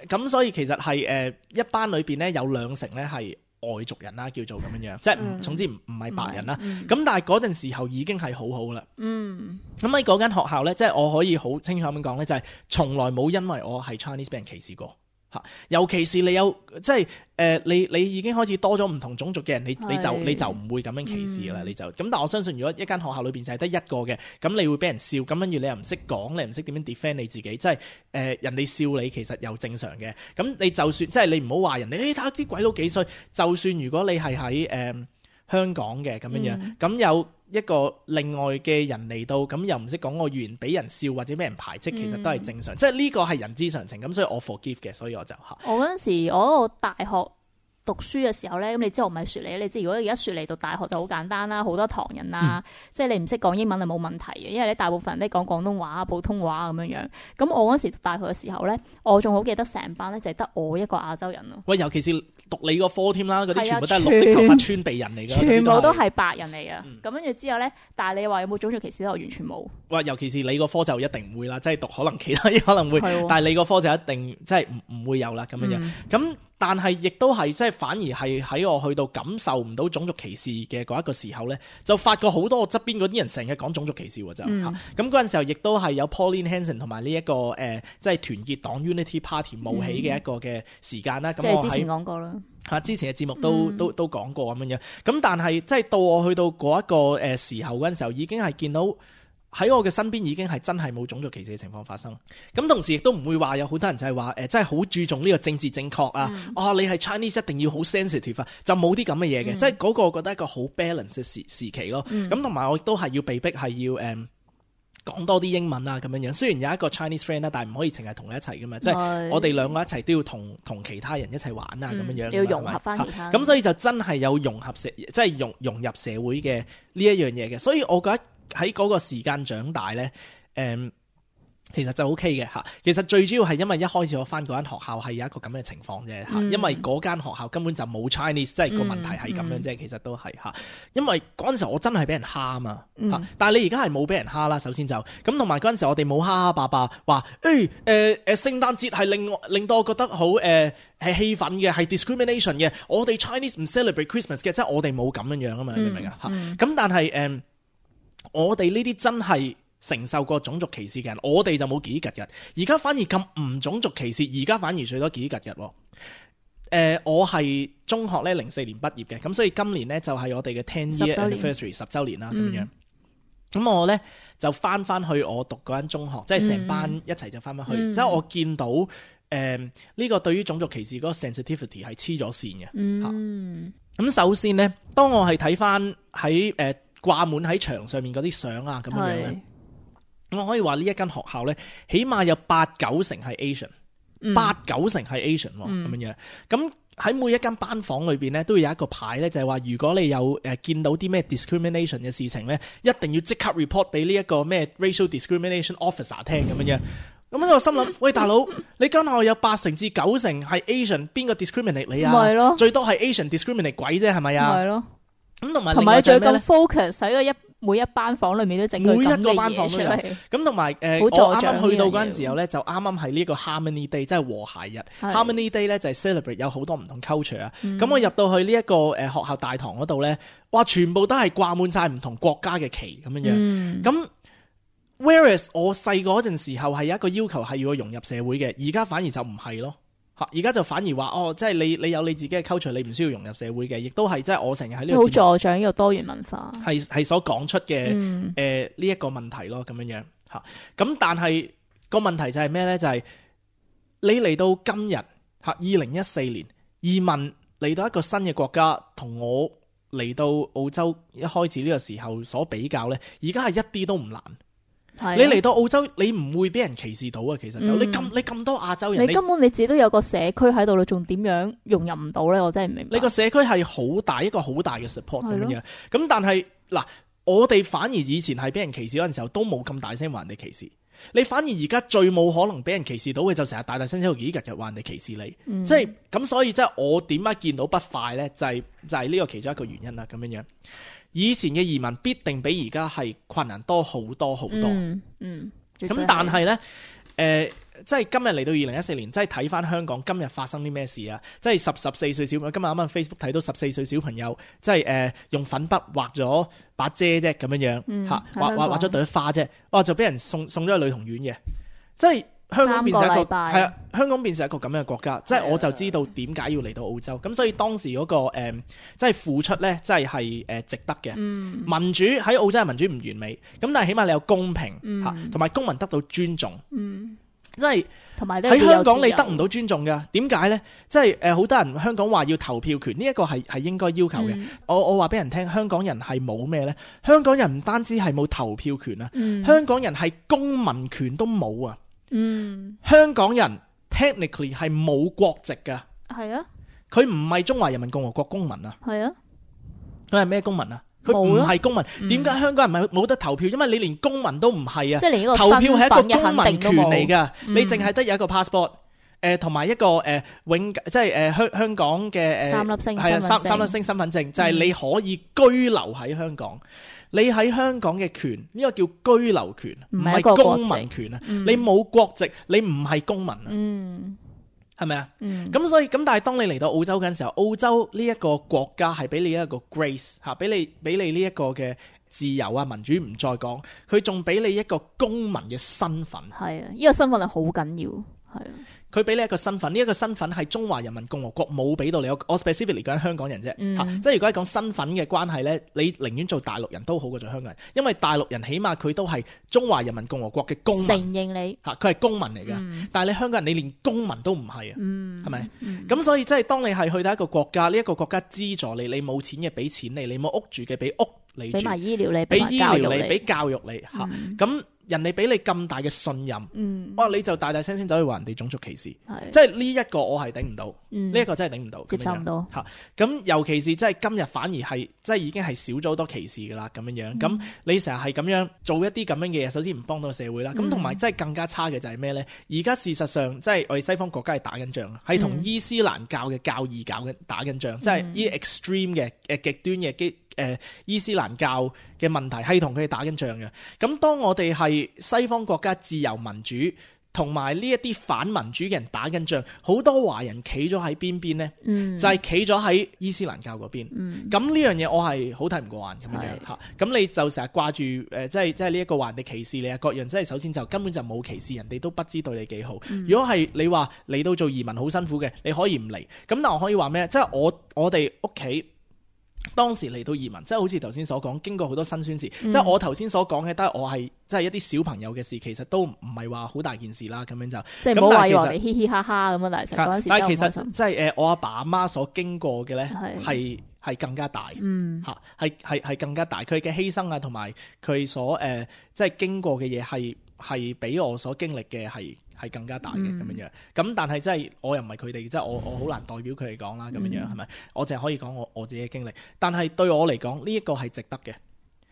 咁所以其實係誒、呃、一班裏邊咧有兩成咧係外族人啦，叫做咁樣樣，即係唔嗯總之唔唔係白人啦。嗯咁、但係嗰陣時候已經係好好啦。嗯咁喺嗰間學校咧，即係我可以好清楚咁講咧，就係、從來冇因為我係 Chinese 俾人歧視過嚇。尤其是你有即係誒、呃，你你已經開始多咗唔同種族嘅人，你你就係你就唔會咁樣歧視㗎啦。嗯你就咁，但我相信如果一間學校裏邊就係得一個嘅，咁你會俾人笑，咁跟住你又唔識講，你唔識點樣 defend 你自己，即係誒、呃、人哋笑你其實又正常嘅。咁你就算即係你唔好話人哋，誒睇下啲鬼佬幾衰，就算如果你係喺誒香港嘅咁樣樣，咁、有一個另外嘅人嚟到，咁又唔識講我語言，俾人笑或者俾人排斥，其實都係正常，即係呢個係人之常情。咁所以我 forgive 嘅，所以我就嚇。我嗰陣時，我嗰個大學讀書嘅時候咧，咁你知我唔係雪梨，你知如果而家雪梨讀大學就好簡單啦，好多唐人啊，嗯、即係你唔識講英文係冇問題嘅，因為咧大部分人都講廣東話、普通話咁樣樣。咁我嗰陣時讀大學嘅時候咧，我仲好記得成班咧就係得我一個亞洲人咯。喂，尤其是讀你個科添啦，嗰啲係啊全部都係綠色頭髮川鼻人嚟㗎，全部都係。係白人嚟嘅。嗯咁跟住之後咧，但係你話有冇種族歧視咧？我完全冇。哇，尤其是你個科就一定唔會啦，即係讀可能其他嘢可能會，係喎但係你個科就一定即係唔唔會有啦咁樣樣。嗯咁、但係亦都係即係反而係喺我去到感受唔到種族歧視嘅嗰一個時候咧，就發覺好多我側邊嗰啲人成日講種族歧視喎就嚇。嗯咁嗰陣時候亦都係有 Pauline Hanson 同埋呢一個誒、呃，即係團結黨 Unity Party 冒起嘅一個嘅時間啦。咁、我即係之前喺講過啦。嚇之前嘅節目都、嗯都都講過咁樣樣。咁但係即係到我去到嗰一個誒時候嗰陣時候，已經係見到喺我嘅身邊已經係真係冇種族歧視嘅情況發生。咁同時亦都唔會話有好多人就係話誒，真係好注重呢個政治正確啊！嗯啊，你係 Chinese 一定要好 sensitive 啊，就冇啲咁嘅嘢嘅。嗯即係嗰個我覺得一個好 balance 嘅時時期咯。咁同埋我亦都係要被逼係要誒。嗯講多啲英文啊咁樣樣，雖然有一個 Chinese friend 啦，但係唔可以淨係同佢一齊噶嘛，即係係我哋兩個一齊都要同同其他人一齊玩啊咁樣樣㗎嘛。嗯你要融合返係咪其他人咁所以就真係有融合社，即係融融入社會嘅呢一樣嘢嘅。所以我覺得喺嗰個時間長大咧，誒、嗯。其實就 O K 嘅嚇，其實最主要係因為一開始我翻嗰間學校係有一個咁嘅情況啫嚇，嗯因為嗰間學校根本就冇 Chinese，即係個問題係咁樣啫，其實都係嚇。因為嗰陣時我真係俾人蝦啊嘛嚇，嗯但係你而家係冇俾人蝦啦，首先就咁，同埋嗰陣時我哋冇蝦蝦霸霸話誒誒誒聖誕節係令我令到我覺得好誒係氣憤嘅，係 discrimination 嘅，我哋 Chinese 唔 celebrate Christmas 嘅，即係我哋冇咁樣樣啊嘛，你明唔明啊嚇？咁但係誒，我哋呢啲真係承受過種族歧視嘅人，我哋就冇幾吉日。而家反而咁唔種族歧視，而家反而最多幾吉日。誒、呃，我係中學咧零四年畢業嘅，咁所以今年咧就係、是、我哋嘅 ten year 十週年 anniversary 十週年啦咁嗯樣。咁我咧就翻翻去我讀嗰間中學，即係成班一齊就翻翻去。嗯即係我見到誒呢、呃這個對於種族歧視嗰個 sensitivity 係黐咗線嘅。嗯咁首先咧，當我係睇翻喺誒掛滿喺牆上面嗰啲相啊咁樣樣咧。我可以話呢一間學校咧，起碼有八九成係 Asian，八九成係 Asian 喎，咁樣樣。咁喺每一間班房裏邊咧，都會有一個牌咧，就係話如果你有誒、呃、見到啲咩 discrimination 嘅事情咧，一定要即刻 report 俾呢一個咩 racial discrimination officer 聽咁樣樣。咁我心諗，喂大佬，你間學校有八成至九成係 Asian，邊個 discriminate 你啊？咪咯最多係 Asian discriminate 鬼啫，係咪啊？係咯。咁同埋同埋你仲要咁另外就係咩咧？ focus 喺個一每一班房裏面都整佢每一個咁嘅班房都有嘢出嚟。咁同埋誒，好我啱助長啱去到呢樣嘢嗰陣時候咧，就啱啱係呢個 Harmony Day，即係和諧日。係 Harmony Day 咧就係 celebrate 有好多唔同 culture 啊。嗯咁我入到去呢一個誒學校大堂嗰度咧，哇，全部都係掛滿晒唔同國家嘅旗咁樣樣。嗯咁 whereas 我細個嗰陣時候係有一個要求係要我融入社會嘅，而家反而就唔係咯。嚇！而家就反而話哦，即係你你有你自己嘅 culture，你唔需要融入社會嘅，亦都係即係我成日喺呢個好節目助長呢個多元文化。係係所講出嘅嗯誒呢一個問題咯，咁樣樣嚇。咁但係個問題就係咩咧？就係、你嚟到今日嚇二零一四年移民嚟到一個新嘅國家，同我嚟到澳洲一開始呢個時候所比較咧，而家係一啲都唔難。係你嚟到澳洲，你唔會俾人歧視到啊。其實就、嗯、你咁你咁多亞洲人，你根本你自己都有個社區喺度，你仲點樣融入唔到咧？我真係唔明白。你個社區係好大一個好大嘅 support 咁樣係樣。咁但係嗱，我哋反而以前係俾人歧視嗰陣時候，都冇咁大聲話人哋歧視。你反而而家最冇可能俾人歧視到嘅，就成日大大聲聲幾日日話人哋歧視你。嗯、即係咁，所以即係我點解見到不快咧？就係、是、就係、是、呢個其中一個原因啦。咁樣樣。以前嘅移民必定比而家係困難多好多好多。嗯，嗯，咁但係呢，誒、呃，即係今日嚟到二零一四年，即係睇翻香港今日發生啲咩事啊！即係十十四歲小朋友，今日啱啱 Facebook 睇到十四歲小朋友，即係誒、呃、用粉筆畫咗把遮啫，咁樣樣嚇、嗯，畫畫畫咗朵花啫，哇就俾人送送咗去女童院嘅，即係。香港變成一個係啊，香港變成一個咁樣嘅國家，即係我就知道點解要嚟到澳洲。咁所以當時嗰、那個誒、呃，即係付出咧，即係係誒值得嘅。嗯、民主喺澳洲係民主唔完美，咁但係起碼你有公平嚇，同、嗯、埋公民得到尊重。嗯，即係同埋喺香港你得唔到尊重㗎？點解咧？即係誒好多人香港話要投票權，呢、這、一個係係應該要求嘅、嗯。我我話俾人聽，香港人係冇咩咧？香港人唔單止係冇投票權啊、嗯，香港人係公民權都冇啊！嗯，香港人 technically 係冇國籍噶，係啊，佢唔係中華人民共和國公民啊，係啊，佢係咩公民啊？佢唔係公民，點解、嗯、香港人唔係冇得投票？因為你連公民都唔係啊，即係連呢個投票係一個公民權嚟噶、嗯，你淨係得有一個 passport， 誒、呃，同埋一個誒、呃、永即係誒香香港嘅誒、呃、三粒星係啊三三粒星身份證，就係、是、你可以居留喺香港。嗯你喺香港嘅權呢、這個叫居留權，唔係公民權啊、嗯！你冇國籍，你唔係公民啊，係咪啊？咁、嗯、所以咁，但係當你嚟到澳洲嗰陣時候，澳洲呢一個國家係俾你一個 grace 嚇，俾你俾你呢一個嘅自由啊民主唔再講，佢仲俾你一個公民嘅身份。係啊，呢、這個身份係好緊要，係啊。佢俾你一個身份，呢、這、一個身份係中華人民共和國冇俾到你。我我 specifically 講緊香港人啫、嗯啊，即係如果係講身份嘅關係咧，你寧願做大陸人都好過做香港人，因為大陸人起碼佢都係中華人民共和國嘅公民，承認你嚇，佢係公民嚟嘅、嗯。但係你香港人，你連公民都唔係啊，係、嗯、咪？咁、嗯、所以即係當你係去到一個國家，呢、這、一個國家資助你，你冇錢嘅俾錢你，你冇屋住嘅俾屋你住，俾埋醫療你，俾醫療你，俾教育你嚇，咁、嗯。人哋俾你咁大嘅信任，嗯，哇！你就大大聲聲走去話人哋種族歧視，即係呢一個我係頂唔到，呢、嗯、一、這個真係頂唔到，接受唔到嚇。咁尤其是即係今日反而係即係已經係少咗好多歧視噶啦，咁樣樣。咁、嗯、你成日係咁樣做一啲咁樣嘅嘢，首先唔幫到社會啦。咁同埋即係更加差嘅就係咩咧？而家事實上即係我哋西方國家係打緊仗，係同伊斯蘭教嘅教義搞緊打緊仗，嗯、即係呢 extreme 嘅誒極端嘅基。誒、呃、伊斯蘭教嘅問題係同佢哋打緊仗嘅，咁當我哋係西方國家自由民主，同埋呢一啲反民主嘅人打緊仗，好多華人企咗喺邊邊呢？嗯、就係企咗喺伊斯蘭教嗰邊。咁、嗯、呢樣嘢我係好睇唔過眼咁樣嚇。咁你就成日掛住誒，即係即係呢一個話人哋歧視你啊各樣，即係首先就根本就冇歧視，人哋都不知對你幾好。嗯、如果係你話嚟到做移民好辛苦嘅，你可以唔嚟。咁但我可以話咩？即係我我哋屋企。當時嚟到移民，即係好似頭先所講，經過好多辛酸事。嗯、即係我頭先所講嘅，都係我係即係一啲小朋友嘅事，其實都唔係話好大件事啦。咁樣就即係唔好話以為你嘻嘻哈哈咁啊！但係嗰陣時但係其實即係誒，我阿爸阿媽所經過嘅咧，係係更加大。嗯，嚇係係係更加大。佢嘅犧牲啊，同埋佢所誒、呃、即係經過嘅嘢，係係比我所經歷嘅係。係更加大嘅咁樣樣，咁但係真係我又唔係佢哋，即係我我好難代表佢哋講啦咁樣樣係咪？我淨係可以講我我自己嘅經歷，但係對我嚟講呢一個係值得嘅。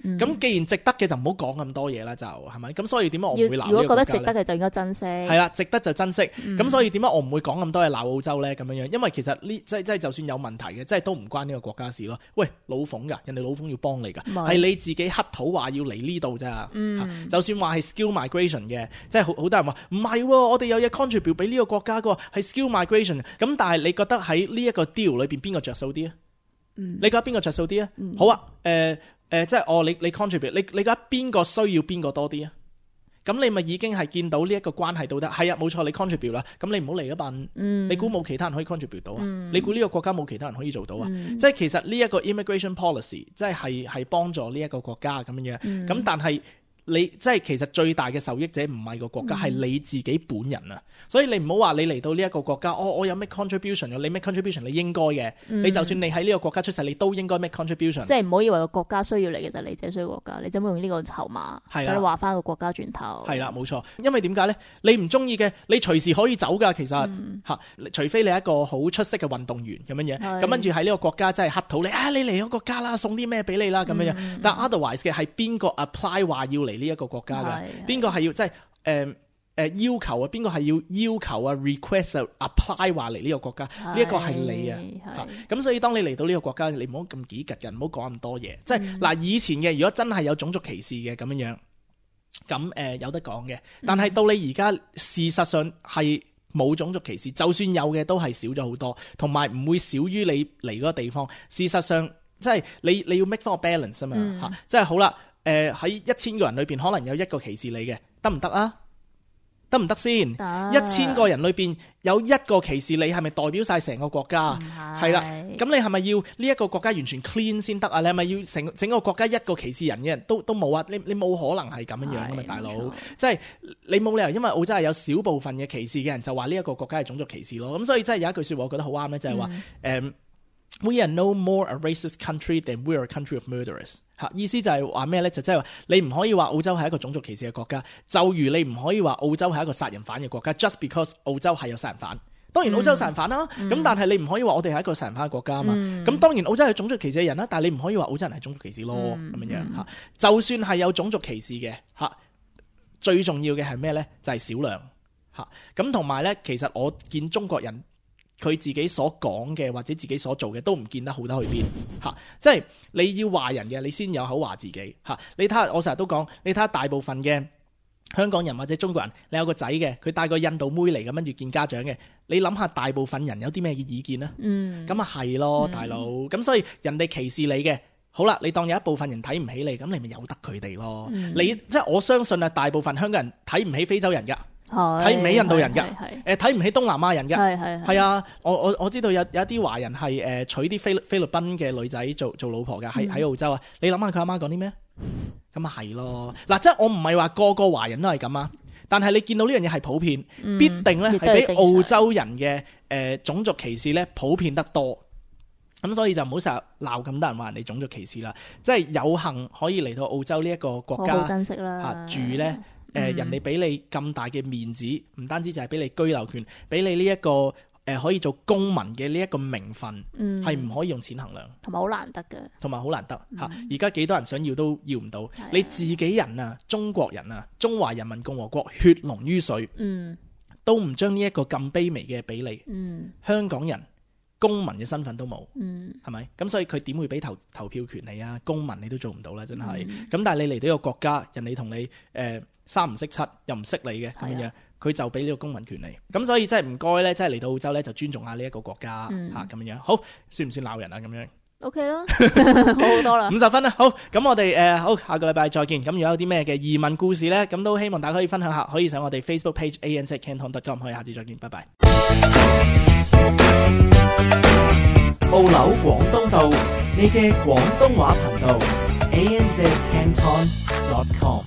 咁、嗯、既然值得嘅就唔好講咁多嘢啦，就係咪？咁所以點解我唔會鬧呢個國家咧？如果覺得值得嘅就應該珍惜。係啦，值得就珍惜。咁、嗯、所以點解我唔會講咁多嘢鬧澳洲咧？咁樣樣，因為其實呢即係即係就算有問題嘅，即係都唔關呢個國家事咯。喂，老馮㗎，人哋老馮要幫你㗎，係你自己乞討話要嚟呢度咋。就算話係 skill migration 嘅，即係好好多人話唔係，我哋有嘢 contribute 俾呢個國家㗎，係 skill migration。咁但係你覺得喺呢一個 deal 裏邊邊個着數啲啊？你覺得邊個着數啲啊？好啊，誒、呃。誒、呃，即係哦，你你 contribute，你你覺得邊個需要邊個多啲啊？咁你咪已經係見到呢一個關係到得係啊，冇錯，你 contribute 啦。咁你唔好嚟一笨，嗯、你估冇其他人可以 contribute 到啊？嗯、你估呢個國家冇其他人可以做到啊？嗯、即係其實呢一個 immigration policy，即係係係幫助呢一個國家咁樣樣。咁、嗯、但係你即係其實最大嘅受益者唔係個國家，係、嗯、你自己本人啊！所以你唔好話你嚟到呢一個國家，哦，我有咩 contribution 你咩 contribution 你應該嘅，嗯、你就算你喺呢個國家出世，你都應該 make contribution。即係唔好以為個國家需要你嘅就係你自己需要國家，你就冇用呢個籌碼，就你話翻個國家轉頭。係啦，冇錯，因為點解咧？你唔中意嘅，你隨時可以走㗎。其實嚇、嗯啊，除非你係一個好出色嘅運動員咁樣樣，咁跟住喺呢個國家真係乞討你啊！你嚟個國家啦，送啲咩俾你啦咁樣樣。嗯、但 otherwise 嘅係邊個 apply 話要嚟呢一個國家㗎？邊個係要即係誒誒要求啊？邊個係要要求啊 request 啊 apply 話嚟呢個國家？呢一個係你啊，咁、啊、所以當你嚟到呢個國家，你唔好咁幾拮人，唔好講咁多嘢。即係嗱，以前嘅如果真係有種族歧視嘅咁樣樣，咁誒、呃、有得講嘅。但係到你而家事實上係冇種族歧視，就算有嘅都係少咗好多，同埋唔會少於你嚟嗰個地方。事實上即係你你要 make 翻個 balance 啊嘛嚇，即係好啦。誒喺一千個人裏邊，可能有一個歧視你嘅，得唔得啊？得唔得先？一千個人裏邊有一個歧視你，係咪代表晒成個國家？係啦，咁你係咪要呢一個國家完全 clean 先得啊？你係咪要成整個國家一個歧視人嘅人都都冇啊？你你冇可能係咁樣樣噶嘛，大佬！即係你冇理由，因為澳洲係有少部分嘅歧視嘅人，就話呢一個國家係種族歧視咯。咁所以真係有一句説話，我覺得好啱咧，就係話誒。We are no more a racist country than we are a country of murderers。嚇，意思就係話咩咧？就即係話你唔可以話澳洲係一個種族歧視嘅國家，就如你唔可以話澳洲係一個殺人犯嘅國家。Just because 澳洲係有殺人犯，當然澳洲殺人犯啦。咁、嗯、但係你唔可以話我哋係一個殺人犯嘅國家啊嘛。咁、嗯、當然澳洲係種族歧視嘅人啦，但係你唔可以話澳洲人係種族歧視咯。咁、嗯、樣樣嚇，就算係有種族歧視嘅嚇，最重要嘅係咩咧？就係、是、少量嚇。咁同埋咧，其實我見中國人。佢自己所講嘅或者自己所做嘅都唔見得好得去邊嚇，即係你要話人嘅，你先有口話自己嚇。你睇下，我成日都講，你睇下大部分嘅香港人或者中國人，你有個仔嘅，佢帶個印度妹嚟咁跟住見家長嘅，你諗下大部分人有啲咩意見呢？嗯，咁啊係咯，大佬。咁、嗯、所以人哋歧視你嘅，好啦，你當有一部分人睇唔起你，咁你咪由得佢哋咯。嗯、你即係我相信啊，大部分香港人睇唔起非洲人㗎。睇唔起印度人㗎，誒睇唔起東南亞人㗎，係係係啊！我我我知道有有一啲華人係誒、呃、娶啲菲菲律賓嘅女仔做做老婆㗎，喺喺、嗯、澳洲啊！你諗下佢阿媽講啲咩？咁啊係咯，嗱即係我唔係話個個華人都係咁啊，但係你見到呢樣嘢係普遍，嗯、必定咧係比澳洲人嘅誒、呃、種族歧視咧普遍得多。咁所以就唔好成日鬧咁多人話人哋種族歧視啦，即係有幸可以嚟到澳洲呢一個國家，好好珍惜啦、啊、住咧。誒、呃、人哋俾你咁大嘅面子，唔單止就係俾你居留權，俾你呢、這、一個誒、呃、可以做公民嘅呢一個名分，係唔、嗯、可以用錢衡量，同埋好難得嘅，同埋好難得嚇。而家幾多人想要都要唔到，嗯、你自己人啊，中國人啊，中華人民共和國血濃於水，嗯、都唔將呢一個咁卑微嘅比例，嗯、香港人公民嘅身份都冇，係咪、嗯？咁所以佢點會俾投投票權你啊？公民你都做唔到啦，真係。咁、嗯、但係你嚟到一個國家，人哋同你誒。呃三唔識七又唔識你嘅咁樣，佢就俾呢個公民權利。咁所以真係唔該咧，真係嚟到澳洲咧就尊重下呢一個國家嚇咁樣。好，算唔算鬧人啊？咁樣 OK 啦，好好多啦，五十分啦。好，咁我哋誒、呃、好，下個禮拜再見。咁如果有啲咩嘅移民故事咧，咁都希望大家可以分享下，可以上我哋 Facebook page A N Z Canton dot com， 可以下次再見，拜拜。澳紐廣東道，你嘅廣東話頻道 A N Z Canton dot com。